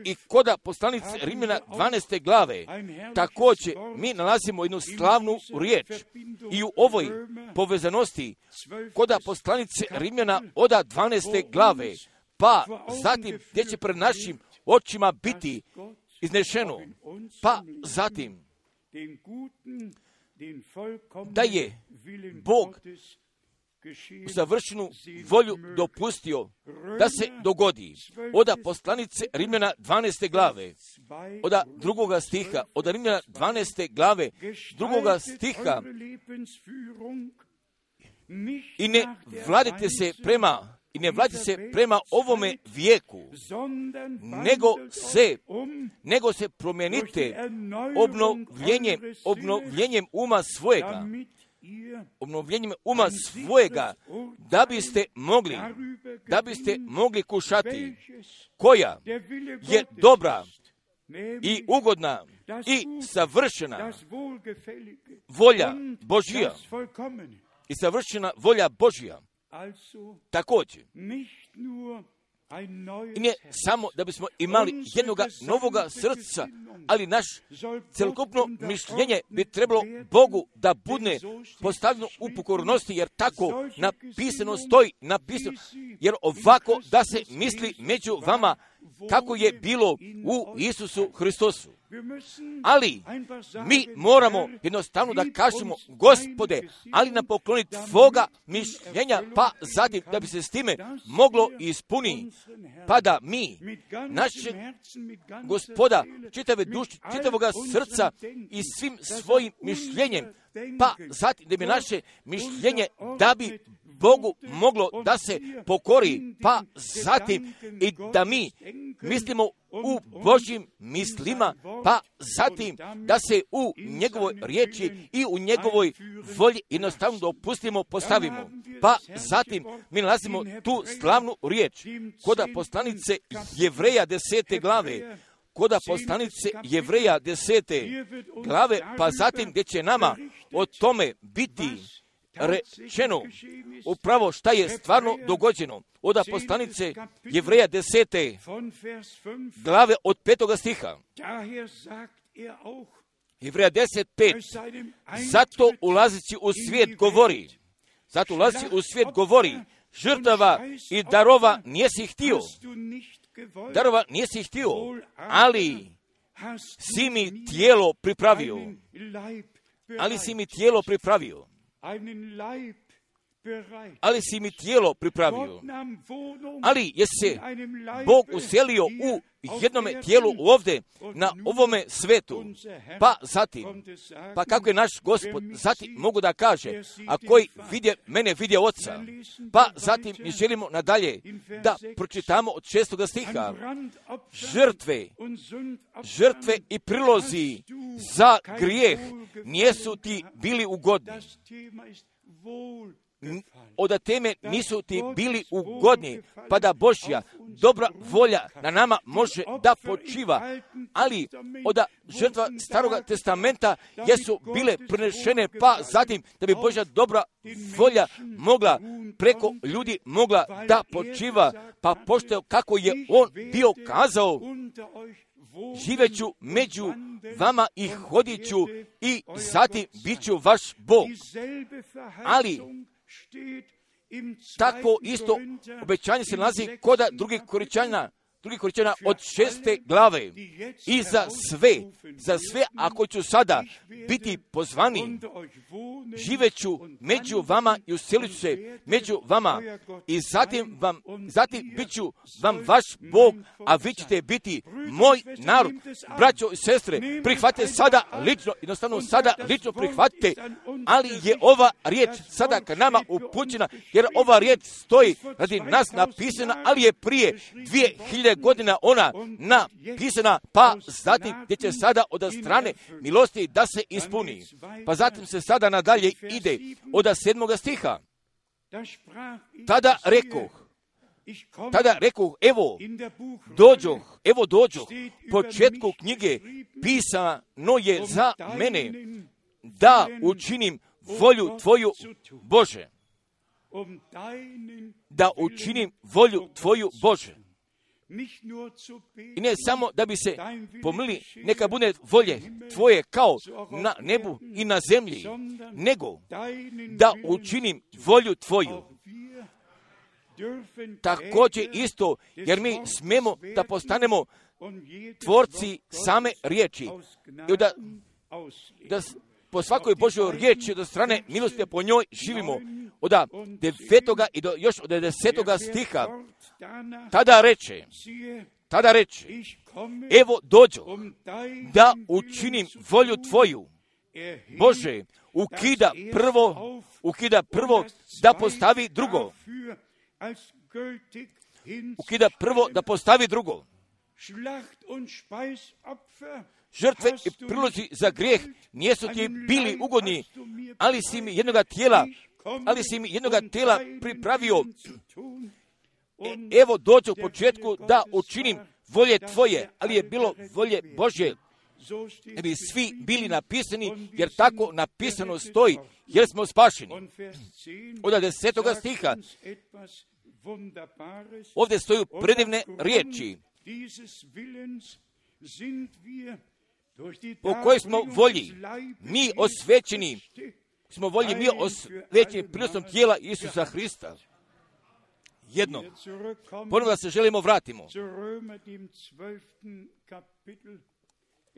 I koda poslanice Rimljana dvanaeste glave, također mi nalazimo jednu slavnu riječ i u ovoj povezanosti koda poslanice Rimljana oda dvanaeste glave, pa zatim gdje će pred našim očima biti iznešeno, pa zatim da je Bog savršenu volju dopustio da se dogodi. Oda poslanice Rimljana dvanaeste glave, oda drugoga stiha, oda Rimljana dvanaeste glave, drugoga stiha, i ne vladite se prema i ne vladite se prema ovome vijeku, nego se, nego se promijenite obnovljenjem, obnovljenjem uma svojega, obnovljenjem uma svojega, da biste mogli, da biste mogli kušati koja je dobra i ugodna i savršena volja Božja i savršena volja Božja. Također, i ne samo da bismo imali jednoga novoga srca, ali naš celokupno mišljenje bi trebalo Bogu da bude postavljeno u pokornosti, jer tako napisano stoji, napisano, jer ovako da se misli među vama kako je bilo u Isusu Hristosu. Ali mi moramo jednostavno da kažemo, Gospode, ali nam pokloni tvoga mišljenja, pa zatim da bi se s time moglo ispuni, pa da mi, našeg Gospoda, čitave duše, čitavoga srca i svim svojim mišljenjem, pa zatim da bi naše mišljenje, da bi Bogu moglo da se pokori, pa zatim i da mi mislimo u Božjim mislima, pa zatim da se u njegovoj riječi i u njegovoj volji jednostavno dopustimo, postavimo. Pa zatim mi nalazimo tu slavnu riječ koda poslanice Jevreja desete glave, koda poslanice Jevreja desete glave, pa zatim gdje će nama o tome biti rečeno upravo šta je stvarno dogođeno. Od poslanice Jevreja desete glave od petoga stiha. Jevreja deset pet. Zato ulazeći u svijet govori, zato ulazeći u svijet govori, žrtava i darova nijesi htio, darova nijesi htio, ali si mi tijelo pripravio, ali si mi tijelo pripravio, ali si mi tijelo pripravio, ali je se Bog uselio u jednome tijelu ovdje, na ovome svetu, pa zatim, pa kako je naš Gospod, zatim mogu da kaže, a koji vidje mene, vidje Oca, pa zatim mi želimo nadalje da pročitamo od šestoga stiha, žrtve, žrtve i prilozi za grijeh nijesu ti bili ugodni. Od teme nisu ti bili ugodni, pa da Božja dobra volja na nama može da počiva, ali od žrtva Staroga testamenta jesu bile prenešene, pa zatim da bi Božja dobra volja mogla preko ljudi mogla da počiva, pa pošto kako je on bio kazao, živeću među vama i hodit ću i zatim bit ću vaš Bog. Ali tako isto obećanje se nalazi kod drugih Korinćana, drugih Korinćana od šeste glave. I za sve, za sve ako ću sada biti pozvani, živeću među vama i uselit ću se među vama i zatim, vam, zatim bit ću vam vaš Bog, a vi ćete biti moj narod. Braćo i sestre, prihvatite sada lično, jednostavno sada lično prihvatite, ali je ova riječ sada ka nama upućena, jer ova riječ stoji radi nas napisana, ali je prije dvije hiljade godina ona napisana, pa zatim gdje će sada od strane milosti da se ispuni. Pa zatim se sada nadalje ide od sedmoga stiha. Tada rekoh, tada rekoh, evo dođoh, evo dođoh, početku knjige pisano je za mene da učinim volju tvoju, Bože. Da učinim volju tvoju, Bože. I ne samo da bi se pomili, neka bude volje tvoje kao na nebu i na zemlji, nego da učinim volju tvoju. Također isto, jer mi smemo da postanemo tvorci same riječi. I da, da po svakoj Božjoj riječi od strane milosti po njoj živimo. Od devetoga i do, još od desetoga stiha. Tada reče, tada reče, evo dođo da učinim volju tvoju. Bože, ukida prvo, ukida prvo da postavi drugo. Ukida prvo da postavi drugo. Žrtve i prilozi za grijeh nijesu ti bili ugodni, ali si mi jednoga tijela, ali si mi jednoga tijela pripravio. E, evo dođu u početku da učinim volje tvoje, ali je bilo volje Božje. Da bi svi bili napisani, jer tako napisano stoji, jer smo spašeni. Od desetoga stiha ovdje stoju predivne riječi po kojoj smo volji, mi osvećeni, smo volji mi osvećeni prinosom tijela Isusa Hrista. Jednom, ponovno da se želimo vratimo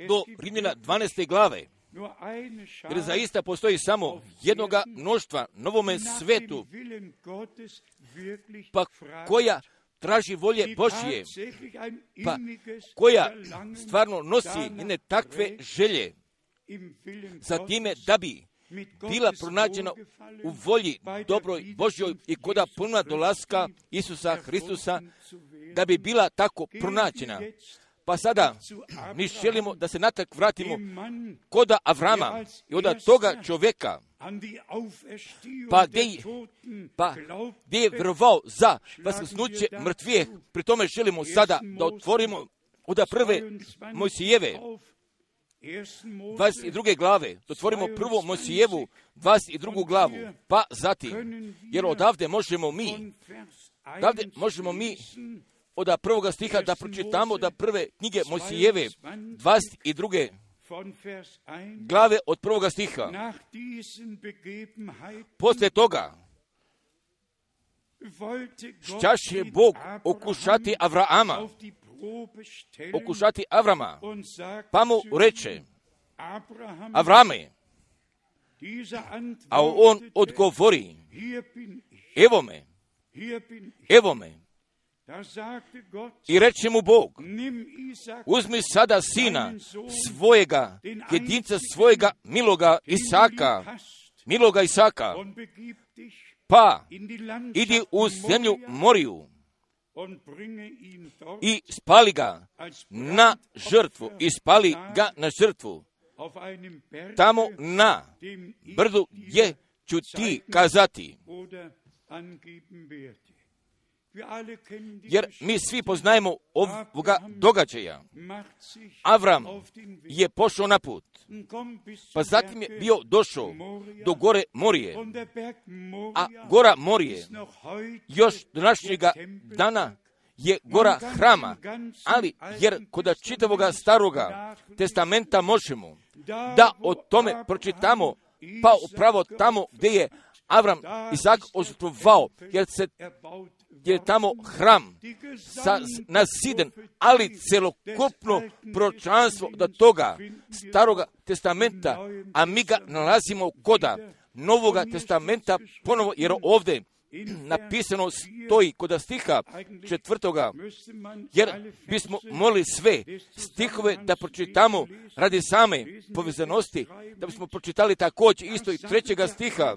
do Rimljana dvanaeste glave, jer zaista postoji samo jednoga mnoštva novome svetu, pa koja traži volje Božje, pa koja stvarno nosi jedne takve želje za time da bi bila pronađena u volji dobroj Božjoj i koda puna dolaska Isusa Hristusa, da bi bila tako pronađena. Pa sada mi želimo da se natak vratimo koda Avrama i od toga čovjeka, pa gdje, pa gdje je vjerovao za vaskrsnuće mrtvih. Pri tome želimo sada da otvorimo od prve Mojsijeve dvadeset druge glave, otvorimo prvo Mojsijevu dvadeset drugu glavu, pa zatim, jer odavde možemo mi, odavde možemo mi od prvoga stiha da pročitamo da prve knjige Mojsijeve dvadeset druge glave od prvoga stiha. Poslije toga šćaše Bog okušati Avrama, okušati Avrama, pa mu reče, Avrame, a on odgovori, evo me, evo me. I reče mu Bog, uzmi sada sina svojega, jedinca svojega miloga Isaka, miloga Isaka, pa idi u zemlju Moriju i spali ga na žrtvu, i spali ga na žrtvu. Tamo na brdu gdje ću ti kazati. Jer mi svi poznajemo ovoga događaja. Avram je pošao na put, pa zatim je bio došao do gore Morije, a gora Morije još današnjega dana je gora hrama, ali jer kod čitavoga staroga testamenta možemo da o tome pročitamo, pa upravo tamo gdje je Avram Izak ožrtvovao, jer se je tamo hram sa, nasiden, ali celokupno proročanstvo do toga staroga testamenta, a mi ga nalazimo koda Novoga testamenta ponovo, jer ovdje napisano stoji kod stiha četvrtoga, jer bismo molili sve stihove da pročitamo radi same povezanosti, da bismo pročitali također isto i trećega stiha.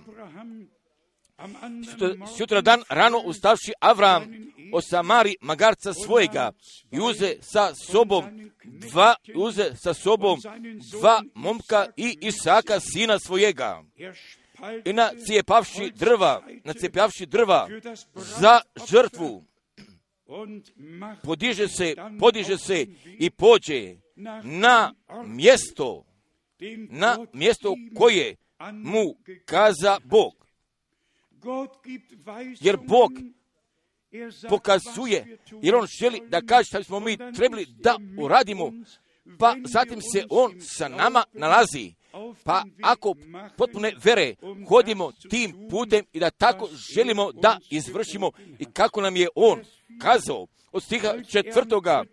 Sutra dan rano ustavši Avram osamari magarca svojega i uze sa sobom dva, uze sa sobom dva momka i Isaka sina svojega. I nacijepavši drva, nacijepavši drva za žrtvu, podiže se, podiže se i pođe na mjesto, na mjesto koje mu kaza Bog. Jer Bog pokazuje, jer on želi da kaže što smo mi trebali da uradimo, pa zatim se on sa nama nalazi. Pa ako potpune vere hodimo tim putem i da tako želimo da izvršimo i kako nam je on kazao od stiha četvrtoga,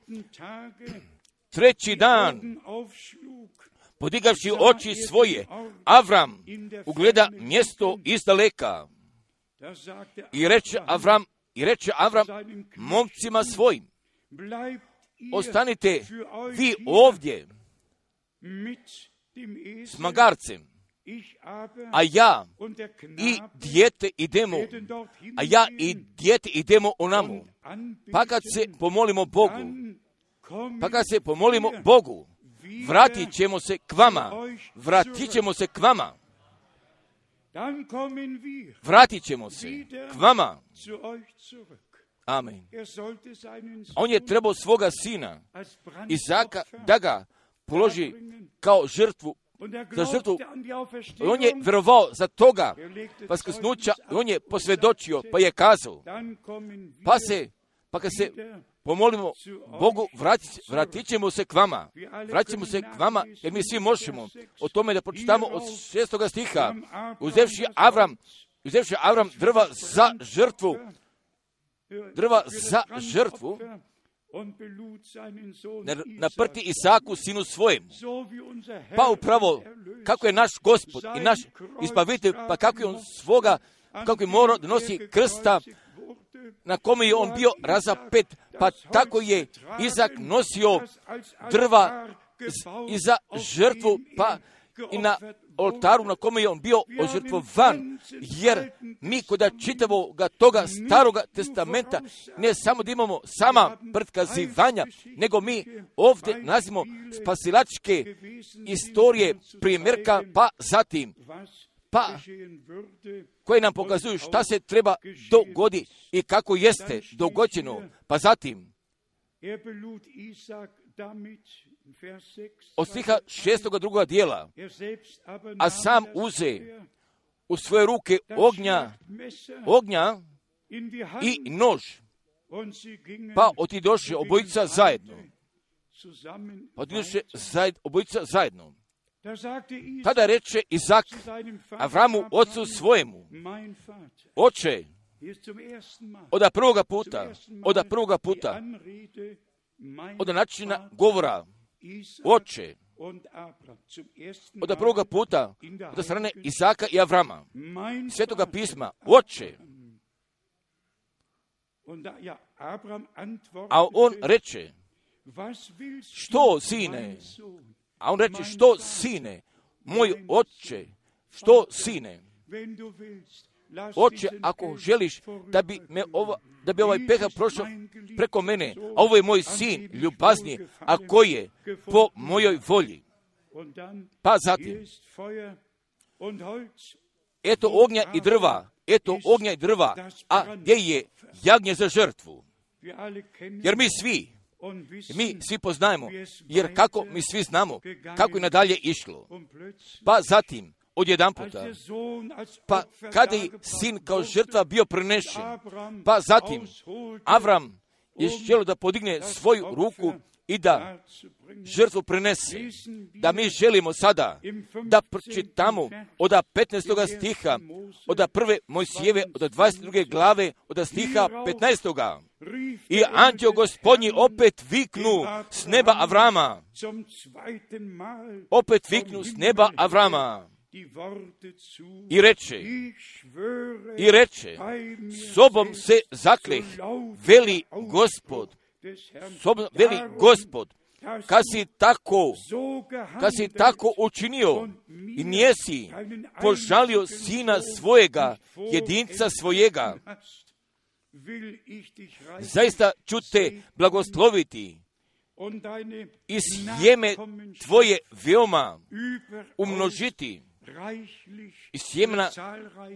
treći dan, podigavši oči svoje, Avram ugleda mjesto izdaleka i reče Avram, i reče Avram momcima svojim, ostanite vi ovdje s magarcem, a ja i dijete idemo, a ja i dijete idemo onamo. Pa kad se pomolimo Bogu, pa kad se pomolimo Bogu, vratit ćemo se k vama, vratit ćemo se k vama, vratit ćemo se k vama. Amen. On je trebao svoga sina, Izaka, da ga položi kao žrtvu, za žrtvu. On je vjerovao za toga vaskrsnuća, on je posvjedočio, pa je kazao, pa se, pa kad se pomolimo Bogu, vratit, vratit ćemo se k vama, vratit ćemo se k vama, jer mi svi možemo o tome da pročitamo od šestoga stiha, uzevši Avram, uzevši Avram drva za žrtvu, drva za žrtvu, naprti Isaku sinu svojem. Pa upravo kako je naš Gospod i naš Izbavitelj, pa kako je on svoga, kako je morao da nosi krsta na kome je on bio razapet, pa tako je Izak nosio drva i za žrtvu, pa i na oltaru na kome je on bio ožrtvovan, jer mi kod čitavoga toga staroga testamenta ne samo da imamo sama prikazivanja, nego mi ovdje nalazimo spasilačke istorije primjerka, pa zatim, pa koje nam pokazuju šta se treba dogoditi i kako jeste dogođeno, pa zatim od stiha šestoga drugoga dijela, a sam uze u svoje ruke ognja, ognja i nož, pa otidoše obojica zajedno. Pa otidoše zajed, obojica zajedno. Tada reče Izak Avramu, ocu svojemu, oče, od prvoga puta, od prvoga puta, od načina govora, oče, od prvoga puta, od strane Izaka i Avrama, Svetoga pisma, oče. A on reče, što, sine? A on reče, što, sine? Moj oče, što, sine? Oče, ako želiš da bi, me ova, da bi ovaj pehar prošao preko mene, a ovo je moj sin, ljubazni, a koji je po mojoj volji. Pa zatim, eto ognja i drva, eto ognja i drva, a gdje je jagnje za žrtvu? Jer mi svi, mi svi poznajemo, jer kako mi svi znamo, kako je nadalje išlo. Pa zatim, odjedan puta, pa kada je sin kao žrtva bio prenešen, pa zatim Avram je želio da podigne svoju ruku i da žrtvu prenese. Da mi želimo sada da pročitamo od petnaestoga stiha, od prve Mojsijeve, od dvadeset druge glave, od stiha petnaestoga. I anđeo Gospodnji opet viknu s neba Avrama. Opet viknu s neba Avrama. I reče, i reče, sobom se zakleh, veli Gospod, sobom, veli Gospod, kad si tako, kad si tako učinio i nijesi požalio sina svojega, jedinca svojega, zaista ću te blagosloviti i sjeme tvoje veoma umnožiti. I sjemena,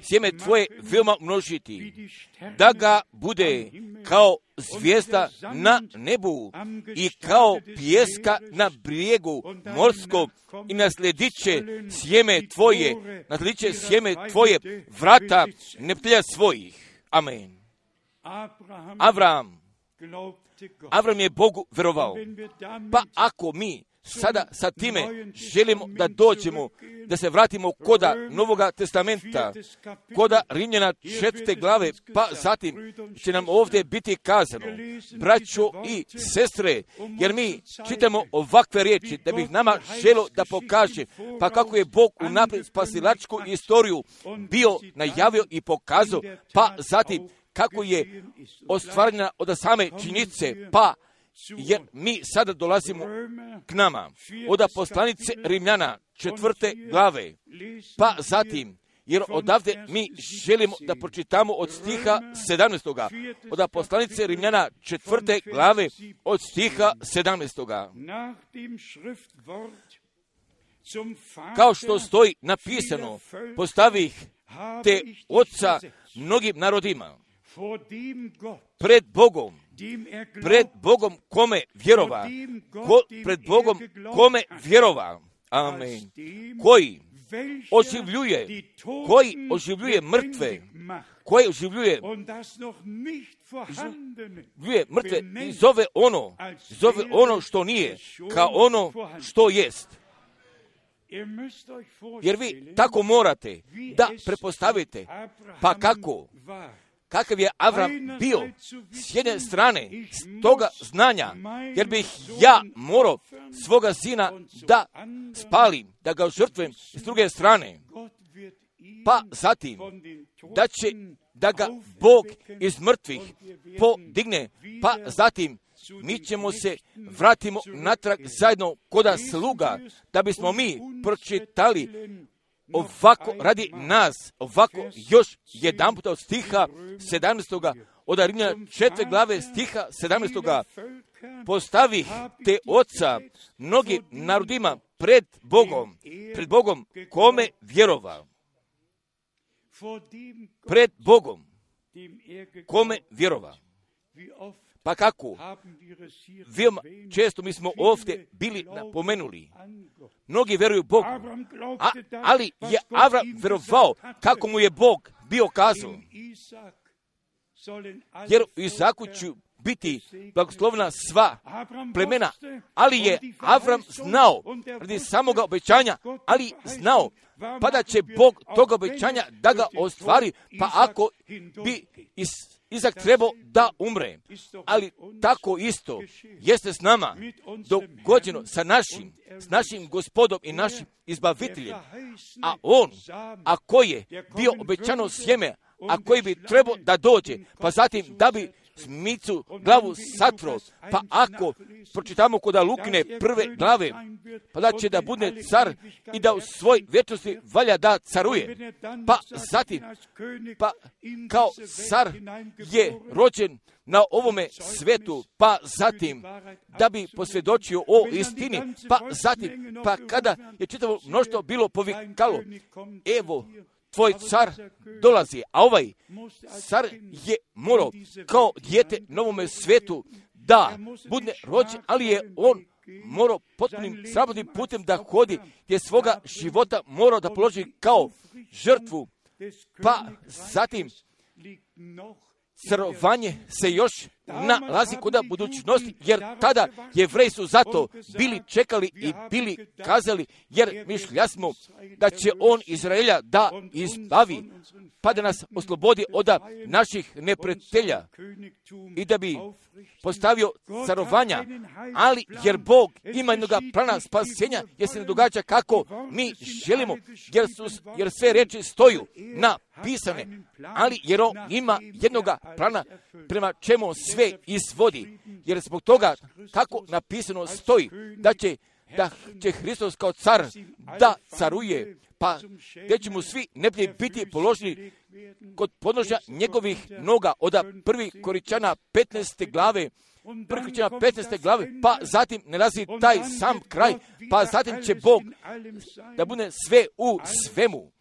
sjeme tvoje veoma množiti, da ga bude kao zvijezda na nebu i kao pijeska na brijegu morskog i nasledit će sjeme tvoje, nasledit će sjeme tvoje vrata neprijatelja svojih. Amen. Avram, Avram je Bogu verovao. Pa ako mi sada sa time želimo da dođemo, da se vratimo koda Novoga testamenta, koda Rimljana četvrte glave, pa zatim će nam ovdje biti kazano, braćo i sestre, jer mi čitamo ovakve riječi, da bih nama želo da pokaže, pa kako je Bog unaprijed spasilačku istoriju bio najavio i pokazao, pa zatim kako je ostvarena od same činjenice, pa jer mi sada dolazimo k nama od poslanice Rimljana četvrte glave, pa zatim, jer odavde mi želimo da pročitamo od stiha sedamnaestoga, od poslanice Rimljana četvrte glave od stiha sedamnaestoga. Kao što stoji napisano, postavih te oca mnogim narodima, pred Bogom, pred Bogom kome vjerova, ko, pred Bogom kome vjerova, amen, koji oživljuje, koji oživljuje mrtve, koji oživljuje, oživljuje mrtve i zove ono, zove ono što nije, kao ono što jest. Jer vi tako morate da prepostavite, pa kako, kakav je Avram bio s jedne strane, s toga znanja, jer bih ja morao svoga sina da spalim, da ga žrtvujem s druge strane, pa zatim da će da ga Bog iz mrtvih podigne, pa zatim mi ćemo se vratimo natrag zajedno koda sluga, da bismo mi pročitali ovako radi nas, ovako još jedan puta od stiha sedamnaestoga, od Rimljana četvrte glave stiha sedamnaestoga, postavih te oca mnogim narodima pred Bogom, pred Bogom kome vjerova, pred Bogom kome vjerova. Pa kako? Veoma često mi smo ovdje bili napomenuli. Mnogi veruju Bogu, a, ali je Avram verovao kako mu je Bog bio kazao. Jer u Izaku će biti blagoslovena sva plemena, ali je Avram znao, radi samoga obećanja, ali znao, pa da će Bog toga obećanja da ga ostvari, pa ako bi iz Izak trebao da umre, ali tako isto jeste s nama dogođeno sa našim, s našim Gospodom i našim izbaviteljem, a on, a koji je bio obećano sjeme, a koji bi trebao da dođe, pa zatim da bi smicu glavu satro, pa ako pročitamo kod Lukine prve glave, pa da će da bude car i da u svoj vječnosti valja da caruje, pa zatim, pa kao car je rođen na ovome svetu, pa zatim da bi posvjedočio o istini, pa zatim, pa kada je čitavo mnoštvo bilo povikalo, evo, tvoj car dolazi, a ovaj car je morao kao dijete novome svetu da bude rođen, ali je on morao potpunim sramotnim putem da hodi, gdje svoga života morao da položi kao žrtvu, pa zatim carovanje se još nalazi kod budućnosti, jer tada Jevreji su zato bili čekali i bili kazali, jer mišlja smo da će on Izraelja da izbavi, pa da nas oslobodi od naših neprijatelja i da bi postavio carovanja, ali jer Bog ima jednog plana spasenja, jer se ne događa kako mi želimo, jer, su, jer sve reči stoju napisane, ali jer on ima jednog plana prema čemu sve izvodi, jer zbog toga tako napisano stoji da će, da će Hristos kao car da caruje, pa gdje će mu svi neprijatelji biti položeni kod podnožja njegovih noga, od prvi Koričana petnaeste glave, prvi Koričana petnaeste glave, pa zatim nalazi taj sam kraj, pa zatim će Bog da bude sve u svemu,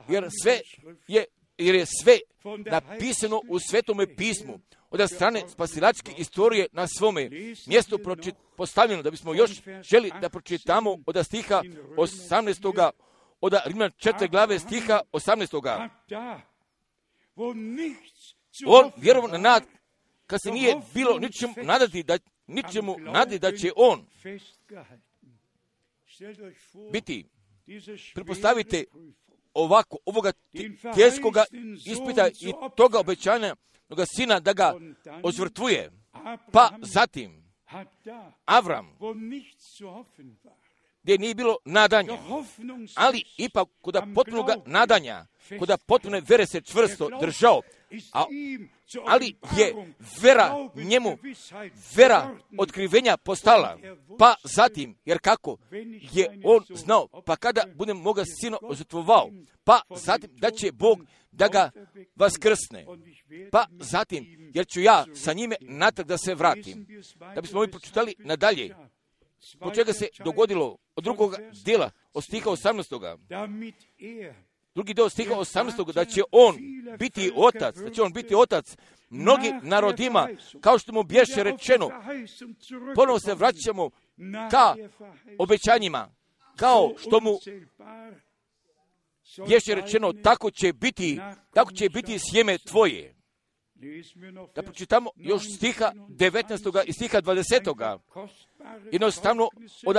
jer sve je, jer je sve napisano u Svetome pismu, od strane spasilačke istorije na svome mjestu pročit, postavljeno, da bismo još želi da pročitamo od stiha osamnaestog od Rimljana četvrte glave stiha osamnaestog On vjerovao na nad, kad se nije bilo ničemu nadati da, ničemu nadati da će on biti. Pretpostavite ovako, ovoga teškoga ispita i toga obećanja toga sina da ga ozvrtvuje. Pa zatim Avram, gdje nije bilo nadanja, ali ipak kod potpunog nadanja, kod potpune vere se čvrsto držao, a, ali je vera njemu, vera otkrivenja postala, pa zatim, jer kako je on znao, pa kada budem moga sina ozvrtvovao, pa zatim da će Bog da ga vaskrsne, pa zatim, jer ću ja sa njime natrag da se vratim. Da bismo mi pročitali nadalje, po čega se dogodilo od drugog dijela, od stiha osamnaestog Drugi dio stiha osamnaestog da će on biti otac, da će on biti otac mnogim narodima, kao što mu bješe rečeno. Ponovo se vraćamo ka obećanjima, kao što mu bješe rečeno, tako će biti, tako će biti sjeme tvoje. Da pročitamo još stiha devetnaestog i stiha dvadesetog Jednostavno od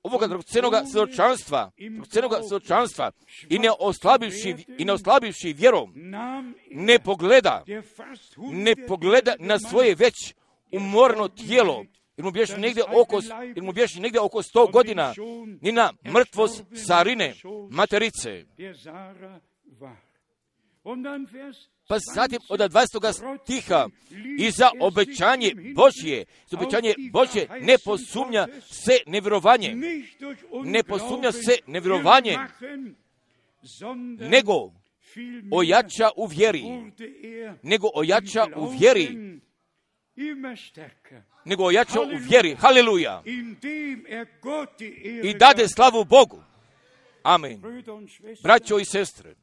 ovoga dragocenoga svjedočanstva, dragocenoga svjedočanstva i ne oslabivši, i ne oslabivši vjerom, ne pogleda, ne pogleda na svoje već umorno tijelo, jer mu bješi negdje oko, jer mu bješi negdje oko sto godina, ni na mrtvost Sarine, materice. Pa zatim od dvadesetog stiha i za obećanje Božje, za obećanje Božje ne posumnja se nevjerovanje, ne posumnja se nevjerovanje, nego ojača u vjeri, nego ojača u vjeri, nego ojača u vjeri, haleluja, i dade slavu Bogu. Amen. Braćo i sestre,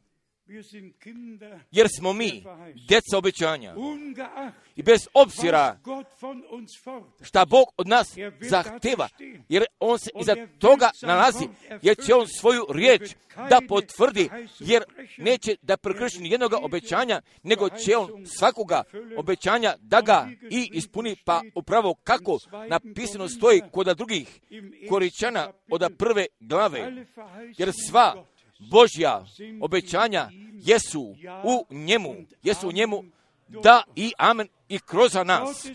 jer smo mi djeca obećanja. I bez obzira šta Bog od nas zahteva, jer On se iza toga nalazi, jer će On svoju riječ da potvrdi, jer neće da prekrši ni jednoga obećanja, nego će On svakoga obećanja da ga i ispuni, pa upravo kako napisano stoji kod drugih Koričana od prve glave, jer sva Božja obećanja jesu u njemu, jesu u njemu, da i amen i kroz nas,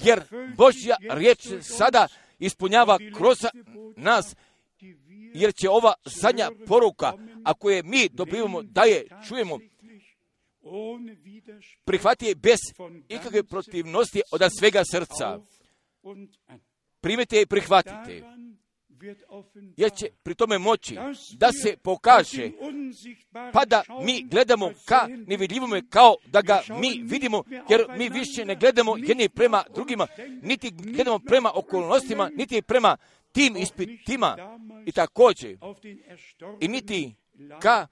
jer Božja riječ sada ispunjava kroz nas, jer će ova zadnja poruka, ako je mi dobivamo da je čujemo, prihvati je bez ikakve protivnosti od svega srca. Primite i prihvatite, jer će pri tome moći da se pokaže, pa da mi gledamo ka nevidljivome kao da ga mi vidimo, jer mi više ne gledamo jedni prema drugima, niti gledamo prema okolnostima, niti prema tim ispitima i također, i niti ka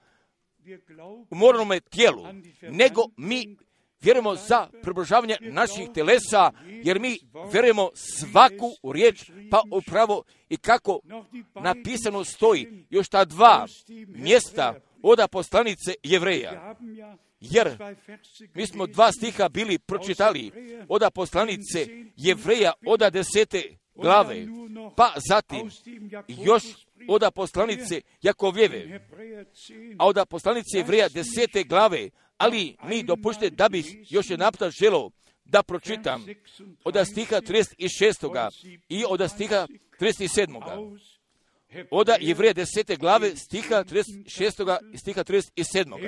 umornome tijelu, nego mi vjerujemo za približavanje naših telesa, jer mi vjerujemo svaku riječ, pa upravo i kako napisano stoji još ta dva mjesta od poslanice Jevreja. Jer mi smo dva stiha bili pročitali od poslanice Jevreja od desete glave, pa zatim još od poslanice Jakovljeve, a od poslanice Jevreja desete glave, ali mi dopušte da bih još jedan puta želeo da pročitam od stiha trideset šest. i od stiha trideset sedam. Od Jevreja desete glave stiha trideset šest. i stiha trideset sedam.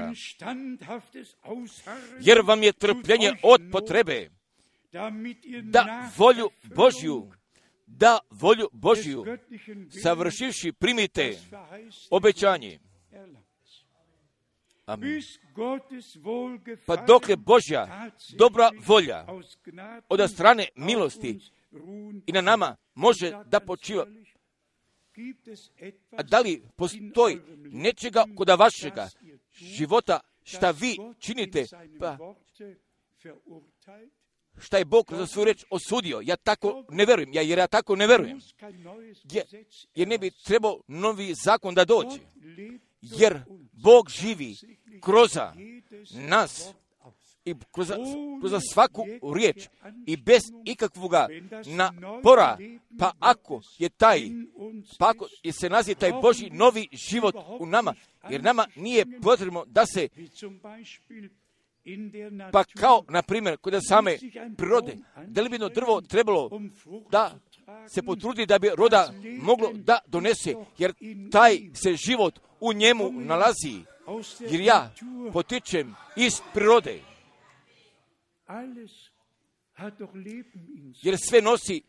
Jer vam je trpljenje od potrebe da volju Božju, da volju Božju savršivši primite obećanje. Amin. Pa dok je Božja dobra volja od strane milosti i na nama može da počiva, a da li postoji nečega kod vašega života šta vi činite, pa šta je Bog za svoju reč osudio? Ja tako ne verujem, ja, jer ja tako ne verujem. Jer, jer ne bi trebao novi zakon da dođe. Jer Bog živi kroz nas i kroz, kroz svaku riječ i bez ikakvoga napora, pa ako je taj, pa ako je se nazi taj Božji novi život u nama, jer nama nije potrebno da se, pa kao, na primjer, kod same prirode, da li bi jedno drvo trebalo da se potrudi da bi roda moglo da donese, jer taj se život u njemu nalazi, jer ja potičem iz prirode, jer sve nosi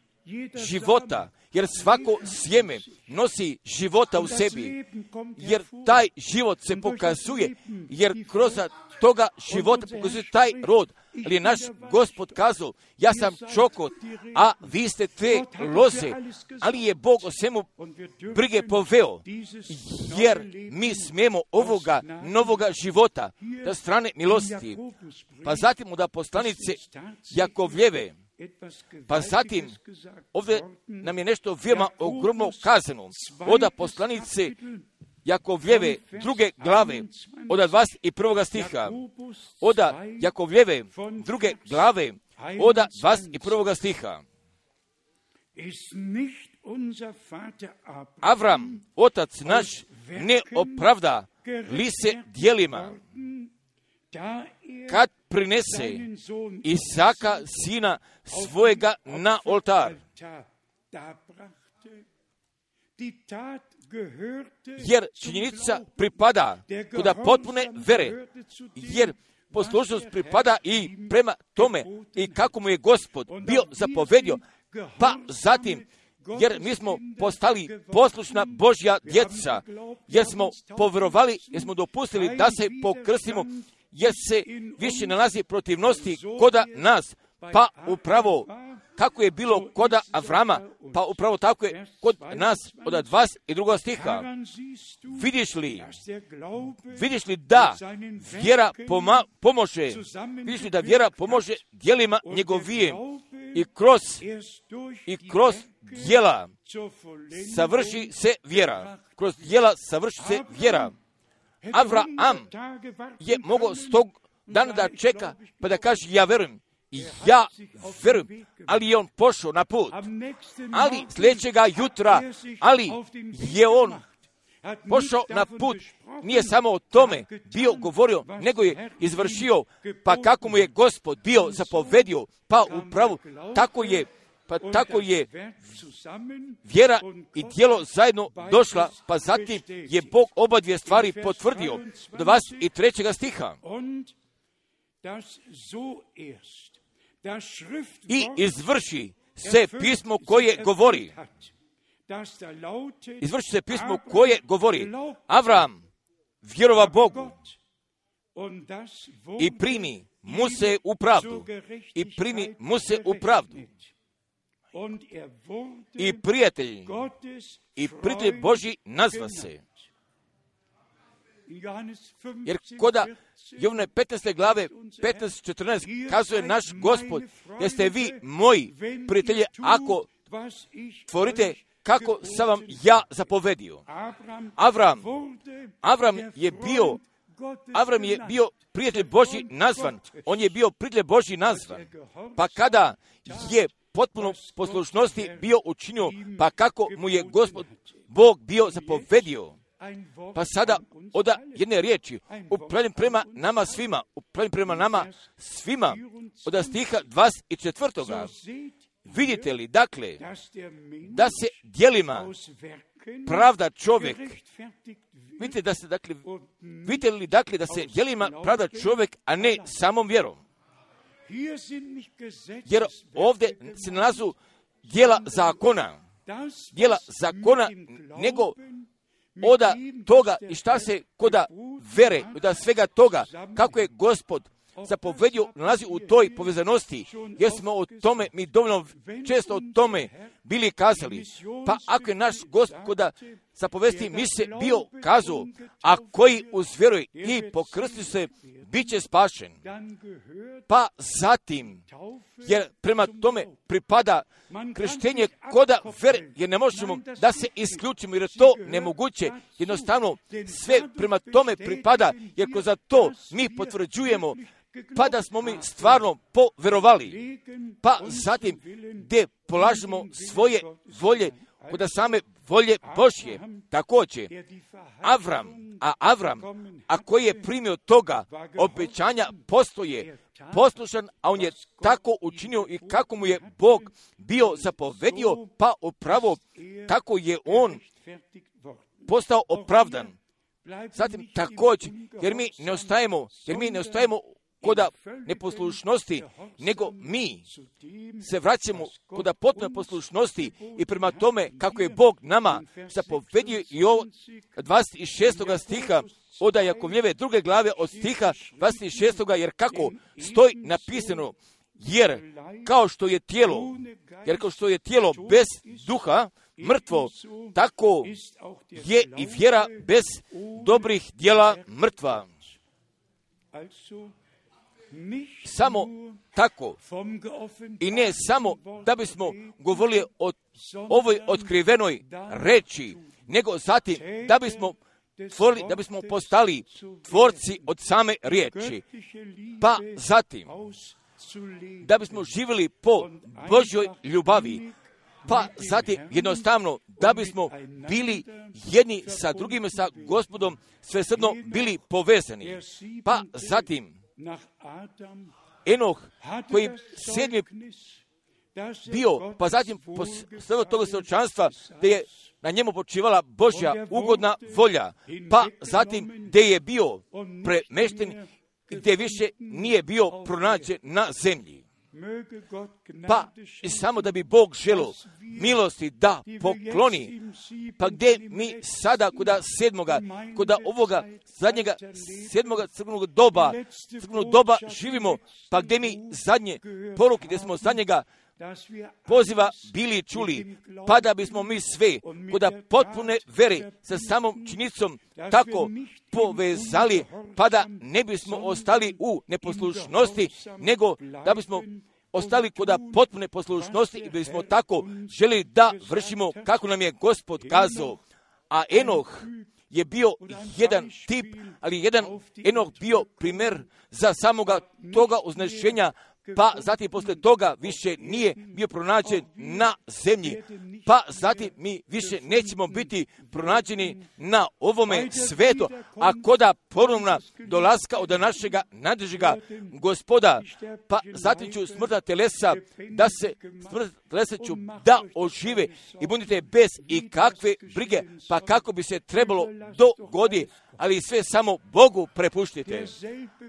života, jer svako sjeme nosi života u sebi, jer taj život se pokazuje, jer kroz toga života pokazuje taj rod, ali je naš Gospod kazao, ja sam čokot, a vi ste te loze, ali je Bog o svemu brige poveo, jer mi smijemo ovoga novoga života da strane milosti, pa zatim od poslanice Jakovljeve, pa zatim ovdje nam je nešto veoma ogromno kazano od poslanice Jakovljeve druge glave od dvadeset prvog stiha, od Jakovljeve druge glave od dvadeset prvog stiha. Avram, otac naš, ne opravda li se djelima, kad prinese Isaka, sina svojega, na oltar. Jer činjenica pripada kuda potpune vere, jer poslušnost pripada i prema tome i kako mu je Gospod bio zapovedio, pa zatim, jer mi smo postali poslušna Božja djeca, jer smo povjerovali, jer smo dopustili da se pokrstimo, jer se više nalazi protivnosti koda nas, pa upravo kako je bilo kod Avrama, pa upravo tako je kod nas od dvadeset drugog stiha. Vidiš li, vidiš li da vjera poma, pomože, vidiš li da vjera pomože djelima njegovije i kroz, i kroz djela savrši se vjera. Kroz djela savrši se vjera. Avraam je mogao s tog dana da čeka, pa da kaže ja verujem. I ja verujem, ali je on pošao na put. Ali sljedećega jutra, ali je on pošao na put, nije samo o tome bio govorio, nego je izvršio, pa kako mu je Gospod bio zapovedio, pa upravo tako je, pa tako je vjera i djelo zajedno došla, pa zatim je Bog oba dvije stvari potvrdio. dvadeset trećeg stiha. I izvrši se pismo koje govori. Izvrši se pismo koje govori. Avram vjerova Bogu i primi mu se u pravdu. I primi mu se u pravdu. I prijatelj, i prijatelj Božji nazva se. Jer koda Jovane petnaeste glave petnaest četrnaest kazuje naš Gospod, jeste vi moji prijatelji ako tvorite kako sam vam ja zapovedio. Avram, Avram je bio, Avram je bio prijatelj Božji nazvan. On je bio prijatelj Božji nazvan. Pa kada je potpuno poslušnosti bio učinio, pa kako mu je Gospod Bog bio zapovedio. Pa sada od jedne riječi, upravljam prema nama svima, upravljam prema nama svima, od stiha dvadeset četvrtog Vidite li, dakle, da se djelima pravda čovjek, vidite, da se, dakle, vidite li, dakle, da se djelima pravda čovjek, a ne samom vjerom. Jer ovdje se nalazu djela zakona, djela zakona, nego oda toga i šta se koda vere, od svega toga, kako je Gospod zapovedio, nalazi u toj povezanosti, jer smo o tome, mi dovoljno često o tome bili kazali. Pa ako je naš Gospoda zapovesti mi se bio kazao, a koji uzvjeruje i pokrsti se, bit će spašen. Pa zatim, jer prema tome pripada krštenje koda vere, jer ne možemo da se isključimo, jer je to nemoguće. Jednostavno, sve prema tome pripada, jer ko za to mi potvrđujemo, pa da smo mi stvarno poverovali, pa zatim gdje polažemo svoje volje kod same volje Božje. Također, Avram, a Avram, a koji je primio toga obećanja, postoje poslušan, a on je tako učinio i kako mu je Bog bio zapovedio, pa upravo tako je on postao opravdan. Zatim također, jer mi ne ostajemo, jer mi ne ostajemo koda neposlušnosti, nego mi se vraćamo koda potpune poslušnosti i prema tome kako je Bog nama zapovedio i ovo dvadeset šestog stiha od Jakovljeve druge glave od stiha dvadeset šestog jer kako stoji napisano, jer kao što je tijelo, jer kao što je tijelo bez duha mrtvo, tako je i vjera bez dobrih djela mrtva. Samo tako i ne samo da bismo govorili o ovoj otkrivenoj reči, nego zatim da bismo tvorili, da bismo postali tvorci od same riječi, pa zatim da bismo živjeli po Božjoj ljubavi, pa zatim jednostavno da bismo bili jedni sa drugima, sa Gospodom svesrdno bili povezani, pa zatim Enoh koji sedmi bio, pa zatim posle toga svjedočanstva gdje je na njemu počivala Božja ugodna volja, pa zatim gdje je bio premešten, gdje više nije bio pronađen na zemlji. Pa i samo da bi Bog želio milosti da pokloni, pa gdje mi sada koda sedmoga, koda ovoga zadnjega sedmoga crkvenog doba, crkvenog doba živimo, pa gdje mi zadnje poruke, gdje smo zadnjega poziva bili čuli, pa da bismo mi sve kod potpune vere sa samom činjenicom tako povezali, pa da ne bismo ostali u neposlušnosti, nego da bismo ostali kod potpune poslušnosti i bismo tako želi da vršimo kako nam je Gospod kazao. A Enoh je bio jedan tip, ali jedan Enoh bio primjer za samoga toga uznešenja, pa zatim posle toga više nije bio pronađen na zemlji, pa zatim mi više nećemo biti pronađeni na ovome svetu, a koda ponovna dolaska od našega nadležega Gospoda, pa zatim ću smrtna telesa da se smrtna telesa ću da ožive i budite bez i kakve brige, pa kako bi se trebalo dogodi, ali sve samo Bogu prepuštite.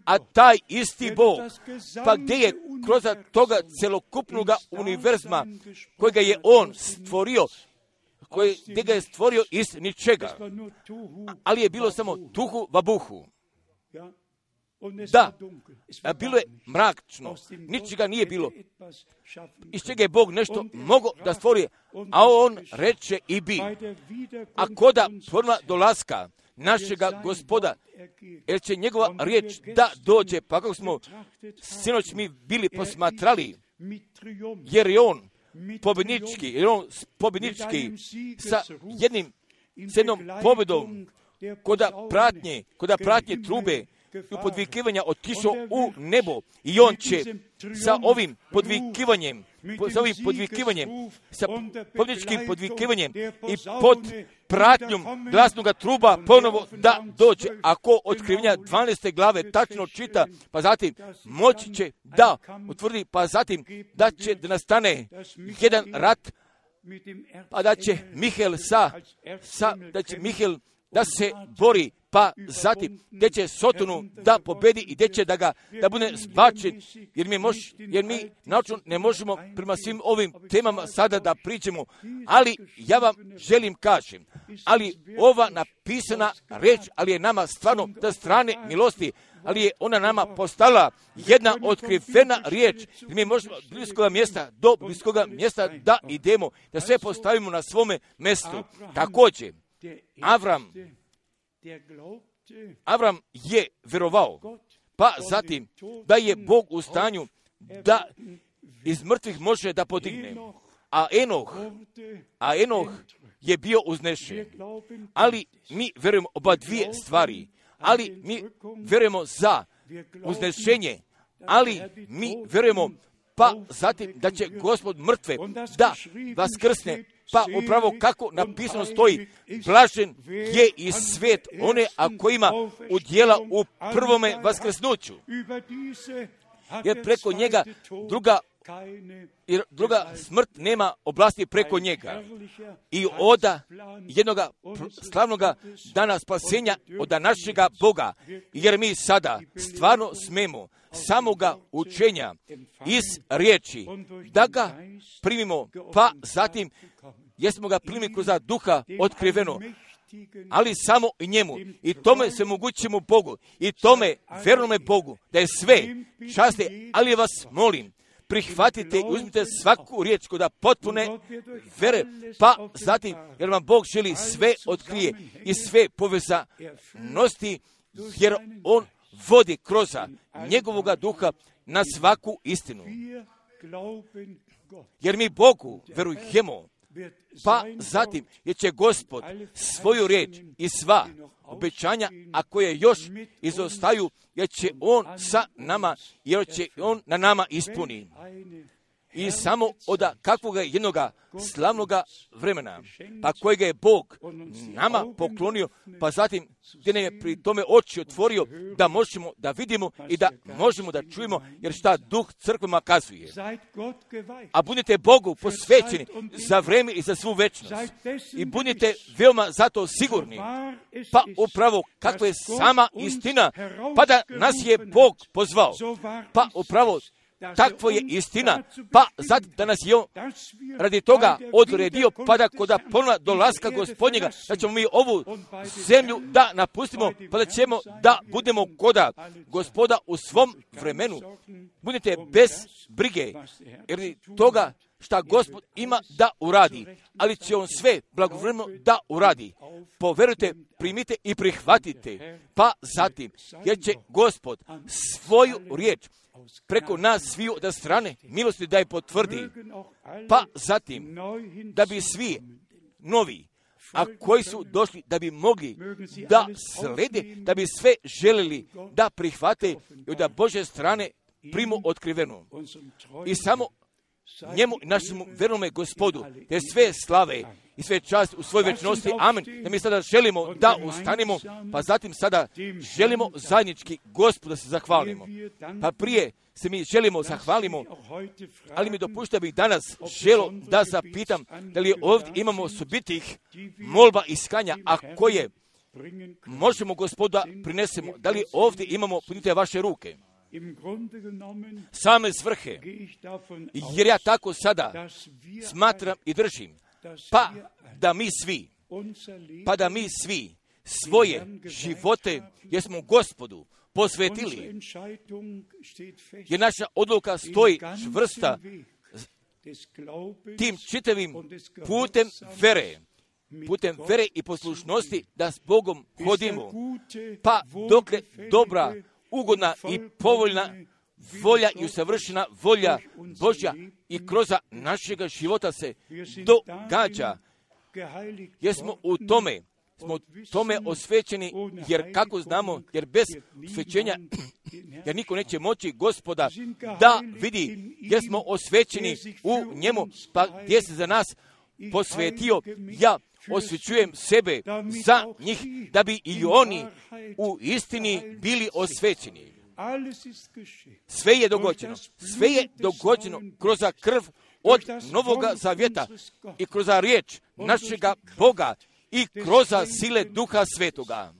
A taj isti Bog, pa gdje je kroz toga celokupnog univerzuma kojega je On stvorio, koje, gdje ga je stvorio iz ničega, ali je bilo samo tuhu vabuhu. Da, bilo je mračno, ničega nije bilo, iz čega je Bog nešto mogao da stvori, a On reče i bi. A koda forma dolaska našega Gospoda, jer će njegova riječ da dođe, pa kako smo sinoć mi bili posmatrali, jer je On pobjednički, jer on pobjednički sa jednim, s jednom pobjedom, koda pratnje, koda pratnje trube i podvikivanja otišao u nebo i on će sa ovim podvikivanjem, sa ovim podvikivanjem, sa pobjedničkim podvikivanjem i pod pratnjom glasnoga truba ponovo da dođe. Ako otkrivenja dvanaeste glave tačno čita, pa zatim moći će da utvrdi, pa zatim da će da nastane jedan rat, pa da će Mihael sa, sa da će Mihael da se bori, pa zatim gdje će Sotonu da pobedi i gdje će da ga da bude zbačen, jer mi, mož, jer mi naučno ne možemo prema svim ovim temama sada da pričamo, ali ja vam želim kažem, ali ova napisana reč, ali je nama stvarno da strane milosti, ali je ona nama postala jedna otkrivena riječ, jer mi možemo od bliskoga mjesta do bliskoga mjesta da idemo, da sve postavimo na svome mjestu. Također, Avram, Avram je vjerovao, pa zatim da je Bog u stanju da iz mrtvih može da podigne. A Enoh, a Enoh je bio uznešen. Ali mi vjerujemo oba dvije stvari, ali mi vjerujemo za uznešenje, ali mi vjerujemo pa zatim da će Gospod mrtve da vaskrsne. Pa upravo kako napisano stoji, blažen je i svijet one, a kojima udjela u prvome vaskrsnuću. Jer preko njega druga, jer druga smrt nema oblasti preko njega. I oda jednoga slavnoga dana spasenja od našega Boga, jer mi sada stvarno smemo samoga učenja iz riječi da ga primimo, pa zatim jesmo ga primili kroz duha otkriveno, ali samo i njemu. I tome se mogućimo Bogu. I tome vjernome Bogu da je sve časti, ali vas molim, prihvatite i uzmite svaku riječ kod potpune vere, pa zatim, jer vam Bog želi sve otkrije i sve povezanosti, jer On vodi kroz njegovoga duha na svaku istinu. Jer mi Bogu verujemo, pa zatim jer će Gospod svoju riječ i sva obećanja, a koje još izostaju, jer će On sa nama, jer će On na nama ispuni. I samo od kakvoga jednoga slavnoga vremena, pa kojega je Bog nama poklonio, pa zatim gdje nam je pri tome oči otvorio, da možemo da vidimo i da možemo da čujemo, jer šta Duh crkvama kazuje. A budite Bogu posvećeni za vreme i za svu večnost. I budite veoma zato sigurni, pa upravo kakva je sama istina, pa da nas je Bog pozvao, pa upravo takva je istina, pa zato da nas je on radi toga odredio, pa da kod ponovna dolaska Gospodnjega, da ćemo mi ovu zemlju da napustimo, pa da ćemo da budemo koda Gospoda u svom vremenu. Budite bez brige, jer toga šta Gospod ima da uradi, ali će on sve blagovremeno da uradi. Poverujte, primite i prihvatite, pa zatim, jer će Gospod svoju riječ preko nas sviju od strane milosti da je potvrdi, pa zatim, da bi svi novi, a koji su došli da bi mogli da slede, da bi sve želeli da prihvate i da Božje strane primu otkrivenu. I samo njemu, našemu vernome Gospodu, te sve slave i sve čast u svoj večnosti. Amen. Da mi sada želimo da ustanemo, pa zatim sada želimo zajednički Gospodu da se zahvalimo. Pa prije se mi želimo zahvalimo, ali mi dopušta bih danas želo da zapitam da li ovdje imamo osobitih molba i iskanja, a koje možemo Gospoda prinesemo. Da li ovdje imamo, punite vaše ruke. Same svrhe, jer ja tako sada smatram i držim, pa da mi svi, pa da mi svi svoje živote, jer smo Gospodu posvetili, jer naša odluka stoji čvrsta tim čitavim putem vere, putem vere i poslušnosti da s Bogom hodimo, pa dokle dobra, ugodna i povoljna volja i usavršena volja Božja i kroz našega života se događa, jer smo u tome, smo tome osvećeni, jer kako znamo, jer bez osvećenja, jer niko neće moći Gospoda da vidi, jer smo osvećeni u njemu, pa gdje se za nas posvetio, ja osvećujem sebe za njih, da bi i oni u istini bili osvećeni. Sve je dogođeno. Sve je dogođeno kroz krv od Novoga Zavjeta i kroz riječ našega Boga i kroz sile Duha Svetoga.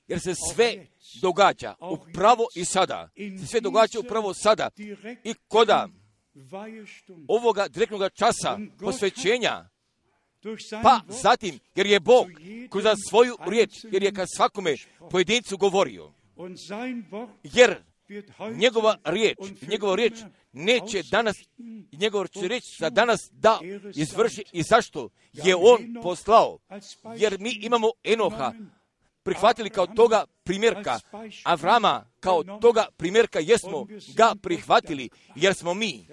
Jer se sve događa upravo i sada. Se sve događa upravo sada. I koda ovoga direktnog časa posvećenja, pa zatim, jer je Bog kroz svoju riječ, jer je kad svakome pojedincu govorio, jer njegova riječ, njegova riječ neće danas, njegova riječ za danas da izvrši, i zašto je on poslao, jer mi imamo Enoha prihvatili kao toga primjerka, Avrama kao toga primjerka, jesmo ga prihvatili, jer smo mi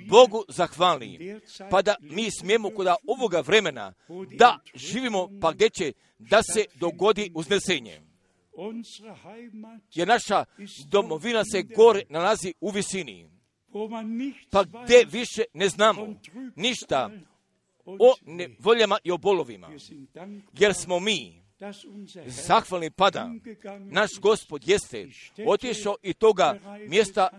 Bogu zahvalni, pa da mi smijemo kod ovoga vremena da živimo, pa gdje će da se dogodi uznesenje. Jer naša domovina se gore nalazi u visini, pa gdje više ne znamo ništa o nevoljama i o bolovima, jer smo mi zahvalni, pada naš Gospod jeste otišao i toga mjesta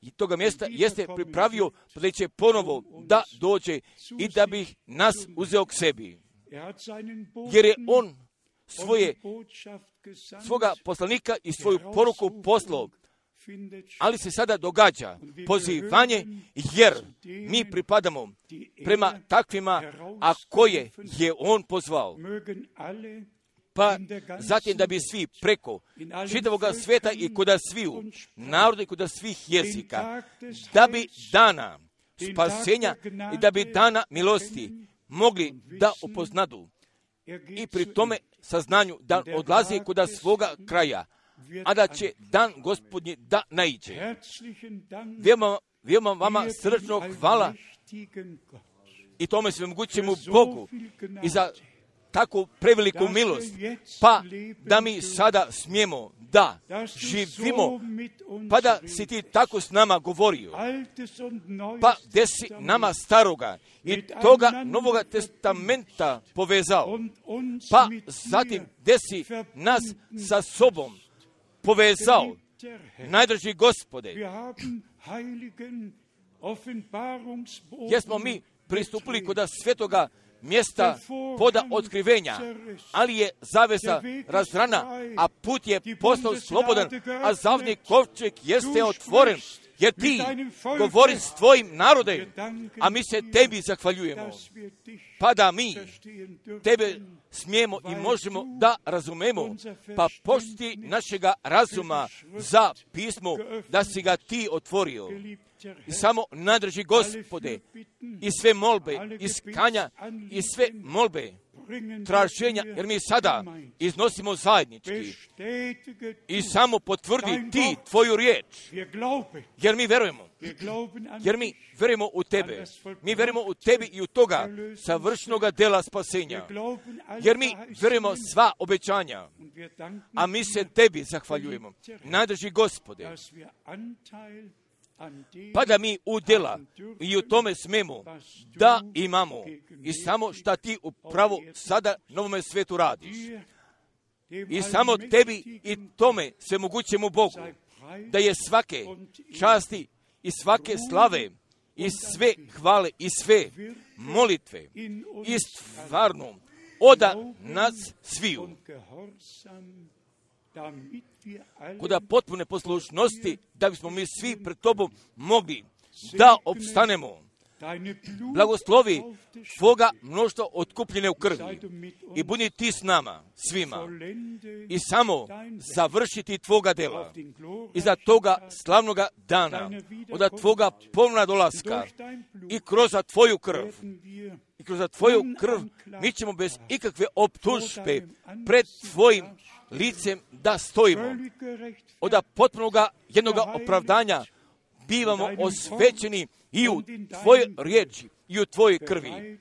i toga mjesta jeste pripravio, pa da će ponovo da dođe i da bi nas uzeo k sebi, jer je on svoje svoga poslanika i svoju poruku poslao. Ali se sada događa pozivanje, jer mi pripadamo prema takvima, a koje je on pozvao. Pa zatim da bi svi preko čitavoga svijeta i kod sviju naroda i kod svih jezika, da bi dana spasenja i da bi dana milosti mogli da upoznadu i pri tome saznanju da odlazi kod svoga kraja, a da će dan Gospodnji da naiđe. Veoma, veoma vama srčno hvala i tome svemogućemu Bogu i za tako preveliku milost, pa da mi sada smijemo da živimo, pa da si ti tako s nama govorio, pa gdje si nama staroga i toga Novoga testamenta povezao, pa zatim gdje si nas sa sobom povezao, najdraži Gospode, jer smo mi pristupili kod svetoga mjesta poda otkrivenja, ali je zavesa razrana, a put je postao slobodan, a zavni kovčeg jeste otvoren, jer ti govori s tvojim narodem, a mi se tebi zahvaljujemo. Pa da mi tebe smijemo i možemo da razumemo, pa pošti našega razuma za pismo, da si ga ti otvorio. I samo nadrži, Gospode, i sve molbe, iskanja, i sve molbe, traženja, jer mi sada iznosimo zajednički. I samo potvrdi ti tvoju riječ, jer mi verujemo. Jer mi verujemo u tebe. Mi verujemo u tebi i u toga savršenoga dela spasenja. Jer mi verujemo sva obećanja, a mi se tebi zahvaljujemo. Nadrži, Gospode, pa da mi udjela i u tome smemo da imamo i samo šta ti upravo sada novome svetu radiš. I samo tebi i tome sve mogućemu Bogu, da je svake časti i svake slave i sve hvale i sve molitve i stvarno oda nas sviju. Kuda potpune poslušnosti, da bismo mi svi pred tobom mogli da opstanemo. Blagoslovi tvoga mnoštva otkupljene u krvi i budi ti s nama, svima, i samo završiti tvoga dela iza toga slavnoga dana, od tvoga ponovna dolaska i kroz tvoju krv. I kroz tvoju krv mi ćemo bez ikakve optužbe pred tvojim licem da stojimo. Od potpunoga jednoga opravdanja bivamo osvećeni i u tvojoj riječi i u tvojoj krvi.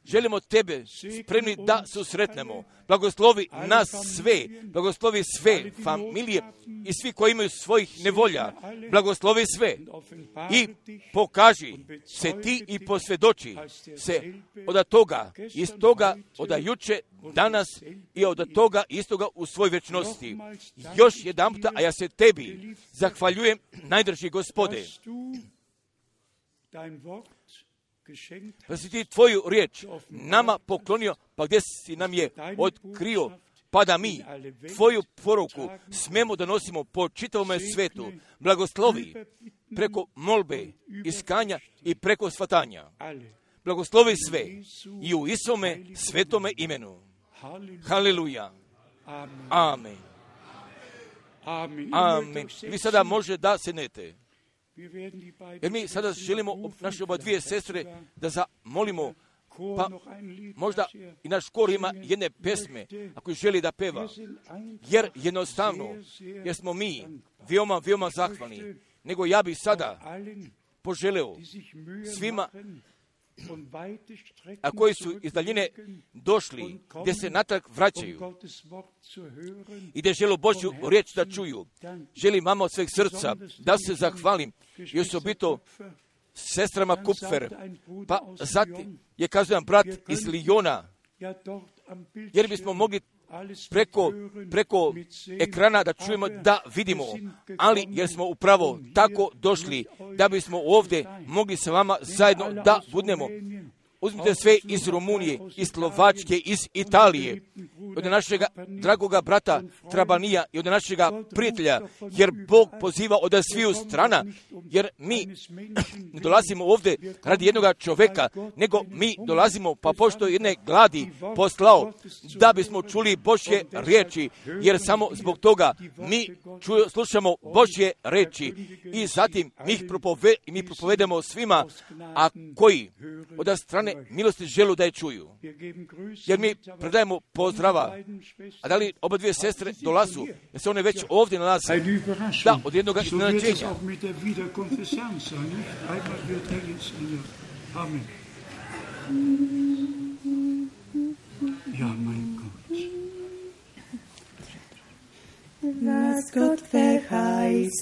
Želimo tebe spremni da susretnemo. Blagoslovi nas sve, blagoslovi sve familije i svi koji imaju svojih nevolja. Blagoslovi sve i pokaži se ti i posvjedoči se od toga, iz toga, od juče, danas i od toga istoga u svoj večnosti. Još jedan puta, a ja se tebi zahvaljujem, najdrži Gospode, da si ti tvoju riječ nama poklonio, pa gdje si nam je otkrio, pa da mi tvoju poruku smemo da nosimo po čitavome svetu. Blagoslovi preko molbe, iskanja i preko shvatanja. Blagoslovi sve i u Isome svetome imenu. Haleluja. Amen. Amen. Vi sada može da sednete. Jer mi sada želimo naše oba dvije sestre da zamolimo, pa možda i naš kor ima jedne pesme, ako želi da peva. Jer jednostavno, jer smo mi veoma, veoma zahvalni. Nego ja bih sada poželeo svima, a koji su iz daljine došli, gdje se natrag vraćaju i gdje žele Božju riječ da čuju. Želim vama od sveg srca da se zahvalim i osobito sestrama Kupfer, pa zatim je kazujem brat iz Lijona, jer bismo mogli preko, preko ekrana da čujemo, da vidimo, ali jer smo upravo tako došli da bismo ovdje mogli sa vama zajedno da budemo. Uzmite sve iz Rumunije, iz Slovačke, iz Italije, od našega dragoga brata Trabanija i od našega prijatelja, jer Bog poziva od sviju strana, jer mi ne dolazimo ovdje radi jednoga čovjeka, nego mi dolazimo pa pošto jedne gladi poslao da bismo čuli Božje riječi, jer samo zbog toga mi čuju, slušamo Božje riječi i zatim mi ih propove, mi propovedemo svima, a koji od strane milosti želu da je čuju. Jer mi predajemo pozdrava. A da li oba dvije sestre dolazu? Jer se one već ovdje nalaze. Da, od jednoga iznenađenja. Was Gott verheißen,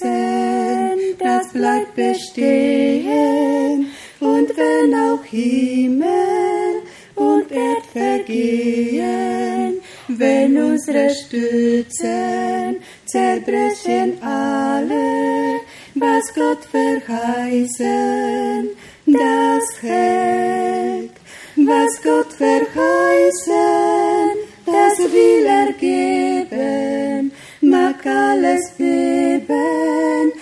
das bleibt bestehen. Und wenn auch Himmel und Erd vergehen, wenn unsere Stützen zerbrechen alle, was Gott verheißen, das hält. Was Gott verheißen, das will er geben, mag alles beben,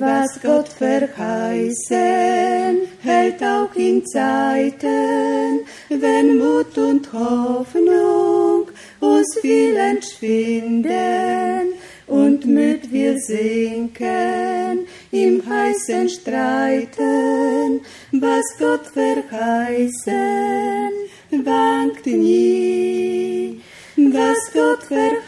Was Gott verheißen, hält auch in Zeiten, wenn Mut und Hoffnung uns viel entschwinden und müd wir sinken im heißen Streiten. Was Gott verheißen, wankt nie. Was Gott verheißen,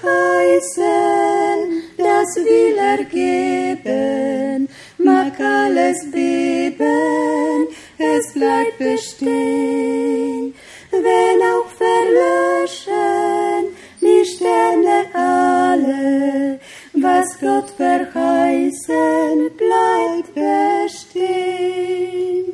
das will er geben, mag alles beben, es bleibt bestehen. Wenn auch verlöschen die Sterne alle, was Gott verheißen, bleibt bestehen.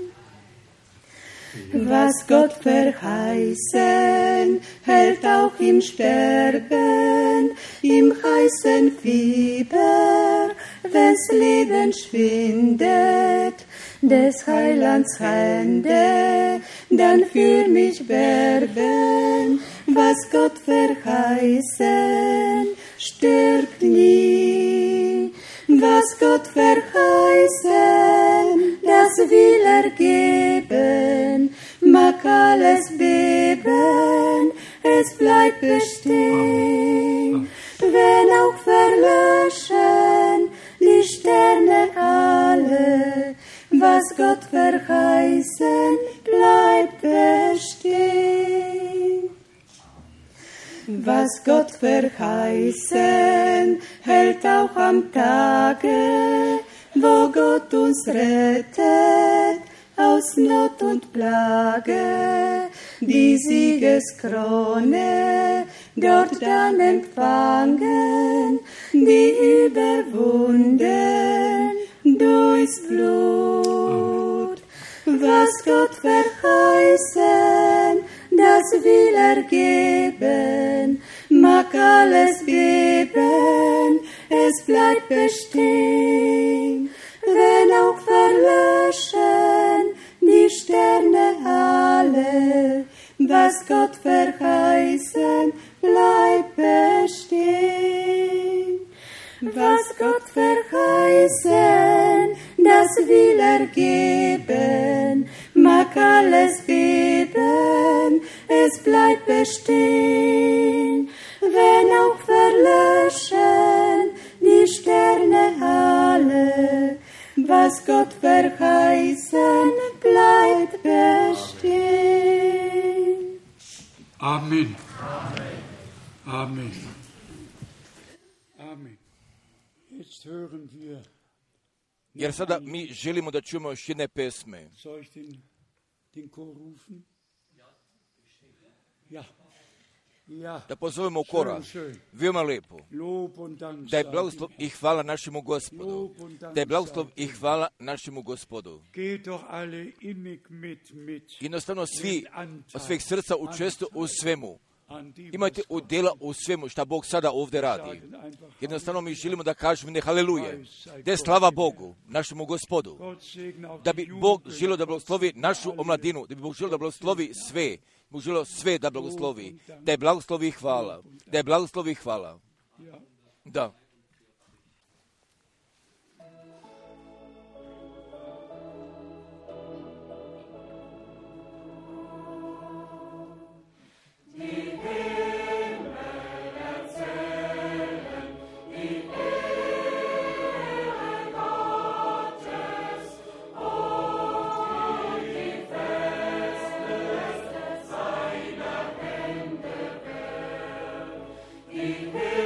Was Gott verheißen, hält auch im Sterben, im heißen Fieber, wenn's Leben schwindet, des Heilands Hände, dann für mich werben. Was Gott verheißen, stirbt nie. Was Gott verheißen, das will er geben, mag alles beben, es bleibt bestehen. Wenn auch verlöschen die Sterne alle, was Gott verheißen, bleibt bestehen. Was Gott verheißen, hält auch am Tage, wo Gott uns rettet aus Not und Plage. Die Siegeskrone dort dann empfangen, die überwunden durchs Blut. Was Gott verheißen, das will er geben, mag alles beben, es bleibt bestehen. Wenn auch verlöschen die Sterne alle, was Gott verheißen, bleibt bestehen. Was Gott verheißen, das will er geben, mag alles beben, es bleibt bestehen. Wenn auch verlöschen die Sterne alle, was Gott verheißen, bleibt bestehen. Amen. Amen. Amen. Jetzt hören wir. Jer sada mi želimo da čujemo još jedne pesme. Soll ich den, den Chor rufen? Ja. Ja. Da pozovemo kora. Veoma lepo. Da je blagoslov i hvala našemu Gospodu. Da je blagoslov i hvala našemu Gospodu. Jednostavno svi od svih srca učestvuju u svemu. Imajte udjela u svemu što Bog sada ovdje radi. Jednostavno mi želimo da kažemo ne haleluje. Da je slava Bogu, našemu Gospodu. Da bi Bog želio da blagoslovi našu omladinu, da bi Bog želio da blagoslovi sve. Bog želio sve da blagoslovi. Da je blagoslovi i hvala. Da je blagoslovi i hvala. Da. Himmel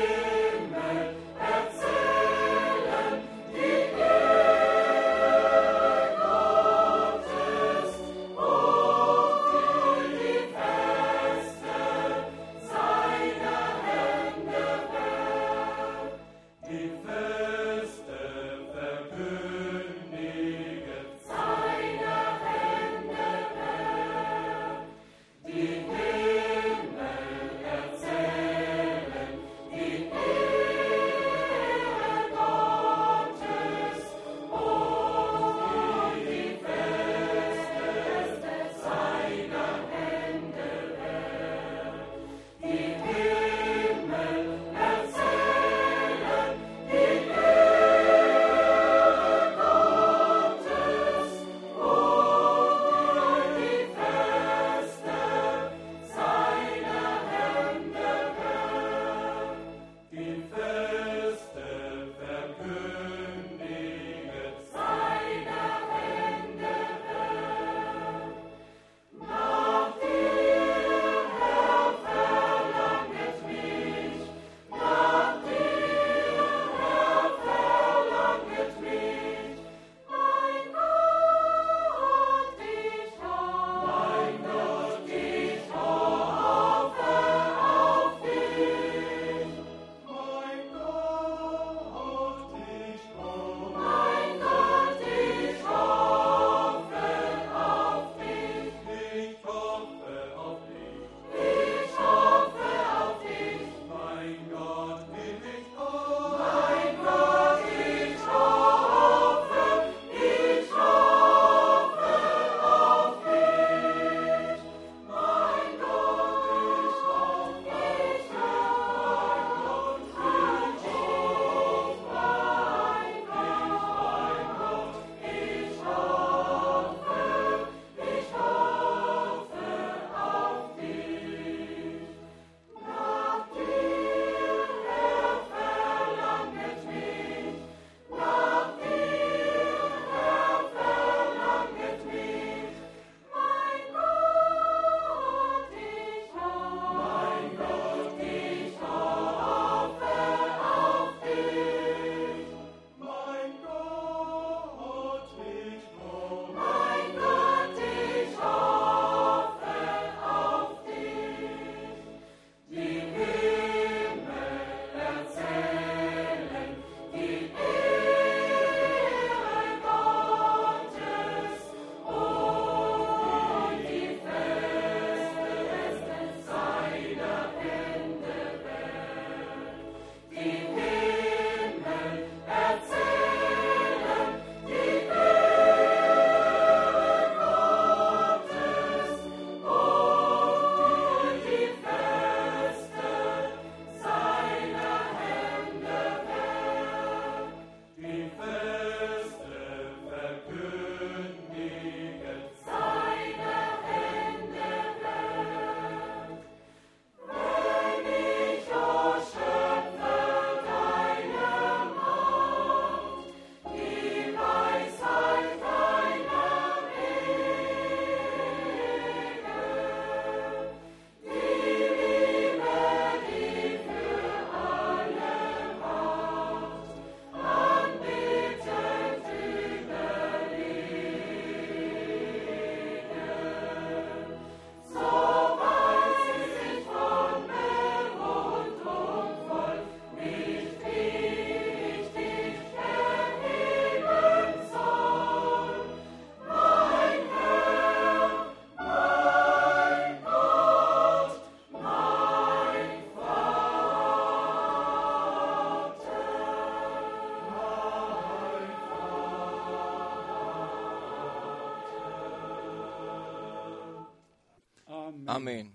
Amen.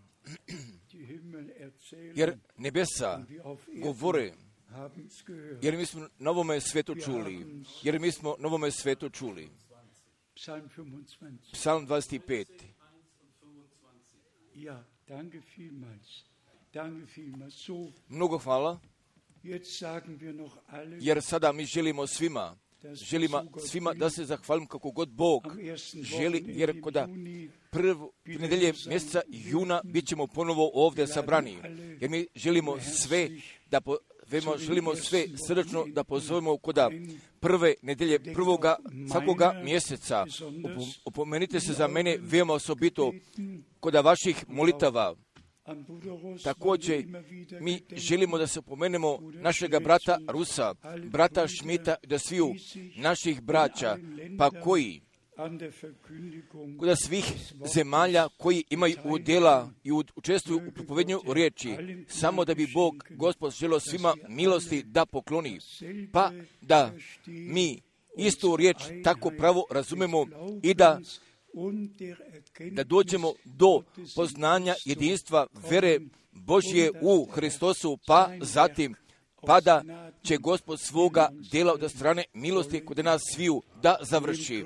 Jer nebesa govore, jer mi smo na ovome svetu čuli, jer mi smo na ovome svetu čuli. Psalm dvadeset pet. Mnogo hvala, jer sada mi želimo svima, želimo svima da se zahvalim kako god Bog želi, jer koda prvu nedelje mjeseca juna bit ćemo ponovo ovdje sabrani, jer mi želimo sve da po, želimo sve srdačno da pozovemo koda prve nedelje prvoga svakoga mjeseca. Opomenite se za mene veoma osobito koda vaših molitava. Također, mi želimo da se opomenemo našega brata Rusa, brata Šmita, da sviju naših braća, pa koji koda svih zemalja koji imaju udjela i učestvuju u propovednju riječi, samo da bi Bog, Gospod, želio svima milosti da pokloni, pa da mi istu riječ tako pravo razumemo i da da dođemo do poznanja jedinstva vere Božje u Hristosu, pa zatim pa da će Gospod svoga djela od strane milosti kod nas sviju da završi.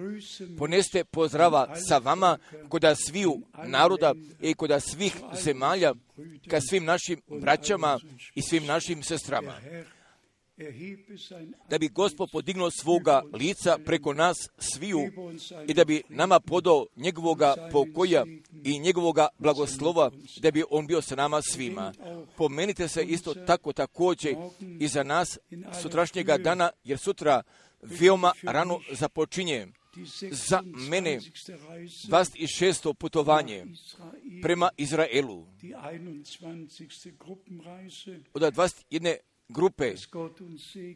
Poneste pozdrava sa vama kod sviju naroda i kod svih zemalja, ka svim našim braćama i svim našim sestrama. Da bi Gospod podignuo svoga lica preko nas sviju i da bi nama podao njegovoga pokoja i njegovoga blagoslova, da bi on bio sa nama svima. Pomenite se isto tako također i za nas sutrašnjega dana, jer sutra veoma rano započinje za mene dvadeset šesto putovanje prema Izraelu. Od dvadeset jedne grupe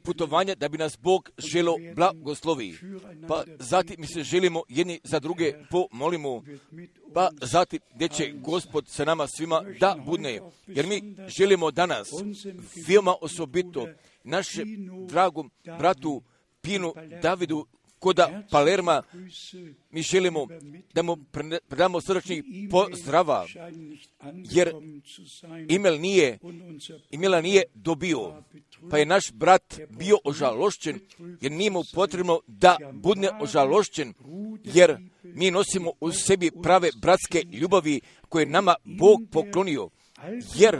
putovanja da bi nas Bog želo blagoslovi. Pa zatim mi se želimo jedni za druge pomolimo, pa zatim gdje će Gospod sa nama svima da budne. Jer mi želimo danas veoma osobito našem dragom bratu Pinu Davidu koda Palerma, mi želimo da mu predamo srdačni pozdrava, jer email nije, emaila nije dobio, pa je naš brat bio ožalošćen, jer nije mu potrebno da bude ožalošćen, jer mi nosimo u sebi prave bratske ljubavi koje nama Bog poklonio, jer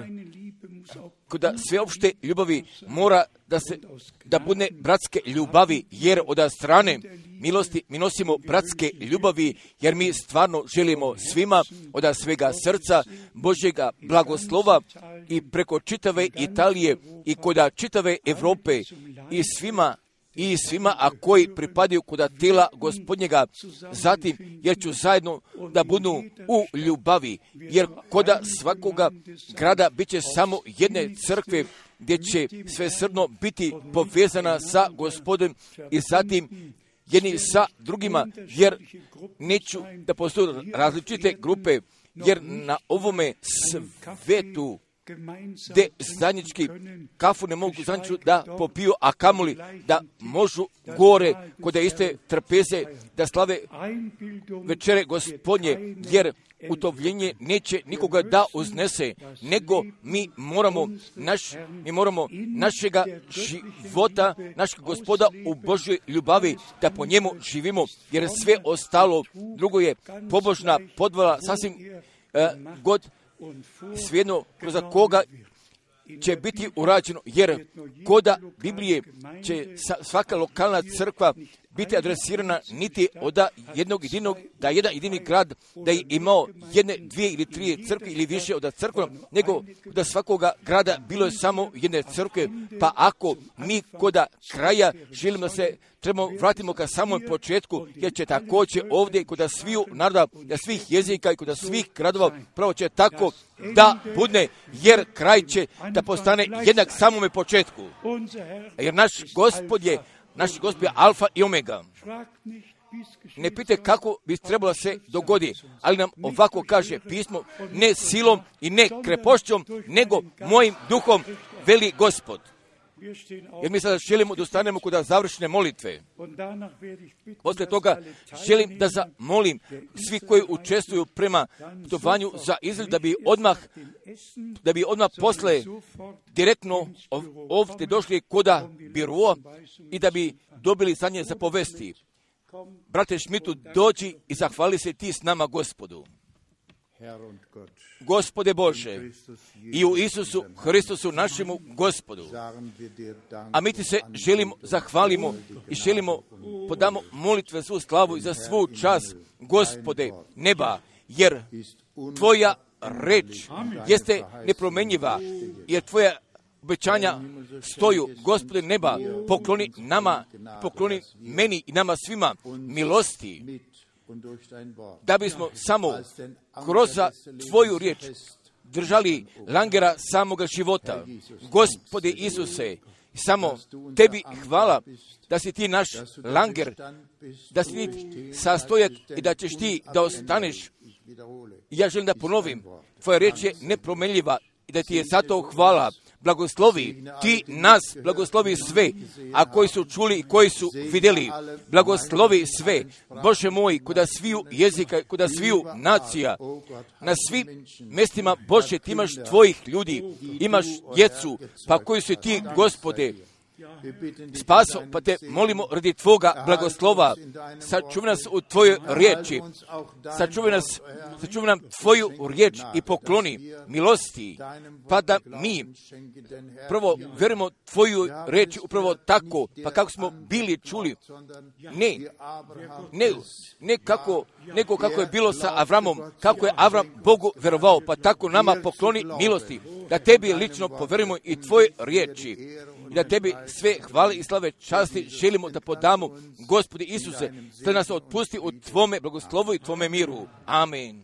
kod sveopšte ljubavi mora da se da bude bratske ljubavi, jer od strane milosti mi nosimo bratske ljubavi, jer mi stvarno želimo svima od svega srca Božjega blagoslova i preko čitave Italije i kod čitave Europe i svima i svima, a koji pripadaju kod tijela Gospodnjega, zatim jer ću zajedno da budu u ljubavi, jer kod svakoga grada bit će samo jedne crkve gdje će sve srdno biti povezana sa Gospodom i zatim jedni sa drugima, jer neću da postoje različite grupe, jer na ovome svetu gdje zajednički kafu ne mogu zajednički da popiju, a kamoli da možu gore kod iste trpeze da slave večere Gospodnje, jer utovljenje neće nikoga da uznese, nego mi moramo, naš, mi moramo našega života, našeg Gospoda u Božjoj ljubavi, da po njemu živimo, jer sve ostalo drugo je pobožna podvala, sasvim uh, god svejedno kroz koga će biti urađeno, jer koda Biblije će svaka lokalna crkva biti adresirana niti od jednog jedinog, da jedan jedini grad da je imao jedne, dvije ili tri crkve ili više od crkva, nego da svakoga grada bilo je samo jedne crkve, pa ako mi koda kraja želimo da se trebamo vratimo ka samom početku, jer će također ovdje kod sviju naroda, da svih jezika i kod svih gradova, pravo će tako da budne, jer kraj će da postane jednak samome početku. Jer naš Gospod je Naš Gospod je alfa i omega. Ne pite kako bi trebalo se dogodi, ali nam ovako kaže pismo, ne silom i ne krepošćom, nego mojim duhom, veli Gospod. Jer mi sada želimo da ustanemo kod završne molitve. Poslije toga želim da zamolim svi koji učestvuju prema putovanju za Izrael da bi odmah, da bi odmah posle direktno ovdje došli koda biroa i da bi dobili za nje zapovesti. Brate Šmitu, dođi i zahvali se ti s nama Gospodu. Gospode Bože, i u Isusu Hristusu našemu Gospodu. A mi ti se želimo, zahvalimo i želimo podamo molitve svu slavu i za svu čast, Gospode neba, jer tvoja reč jeste nepromenjiva, jer tvoja obećanja stoju, Gospode neba, pokloni nama, pokloni meni i nama svima milosti, da bismo samo kroz tvoju riječ držali langera samoga života. Gospode Isuse, samo tebi hvala da si ti naš langer, da si ti sastojak i da ćeš ti da ostaneš. Ja želim da ponovim, tvoja riječ je nepromenljiva i da ti je zato hvala. Blagoslovi ti nas, blagoslovi sve, a koji su čuli i koji su vidjeli, blagoslovi sve, Bože moj, kuda sviju jezika, kuda sviju nacija, na svim mjestima, Bože, ti imaš tvojih ljudi, imaš djecu, pa koji su ti, Gospode, spaso, pa te molimo radi tvoga blagoslova, sačuvaj nas u tvojoj riječi, sačuvaj nas, sačuvaj nam tvoju riječ i pokloni milosti, pa da mi prvo vjerujemo tvoju riječ upravo tako, pa kako smo bili čuli, ne, ne, ne kako, nego kako je bilo sa Avramom, kako je Avram Bogu vjerovao, pa tako nama pokloni milosti, da tebi lično povjerujemo i tvoje riječi, i da tebi sve hvale i slave časti želimo da podamo, Gospodi Isuse, da nas otpusti u tvome blagoslovu i tvome miru. Amen.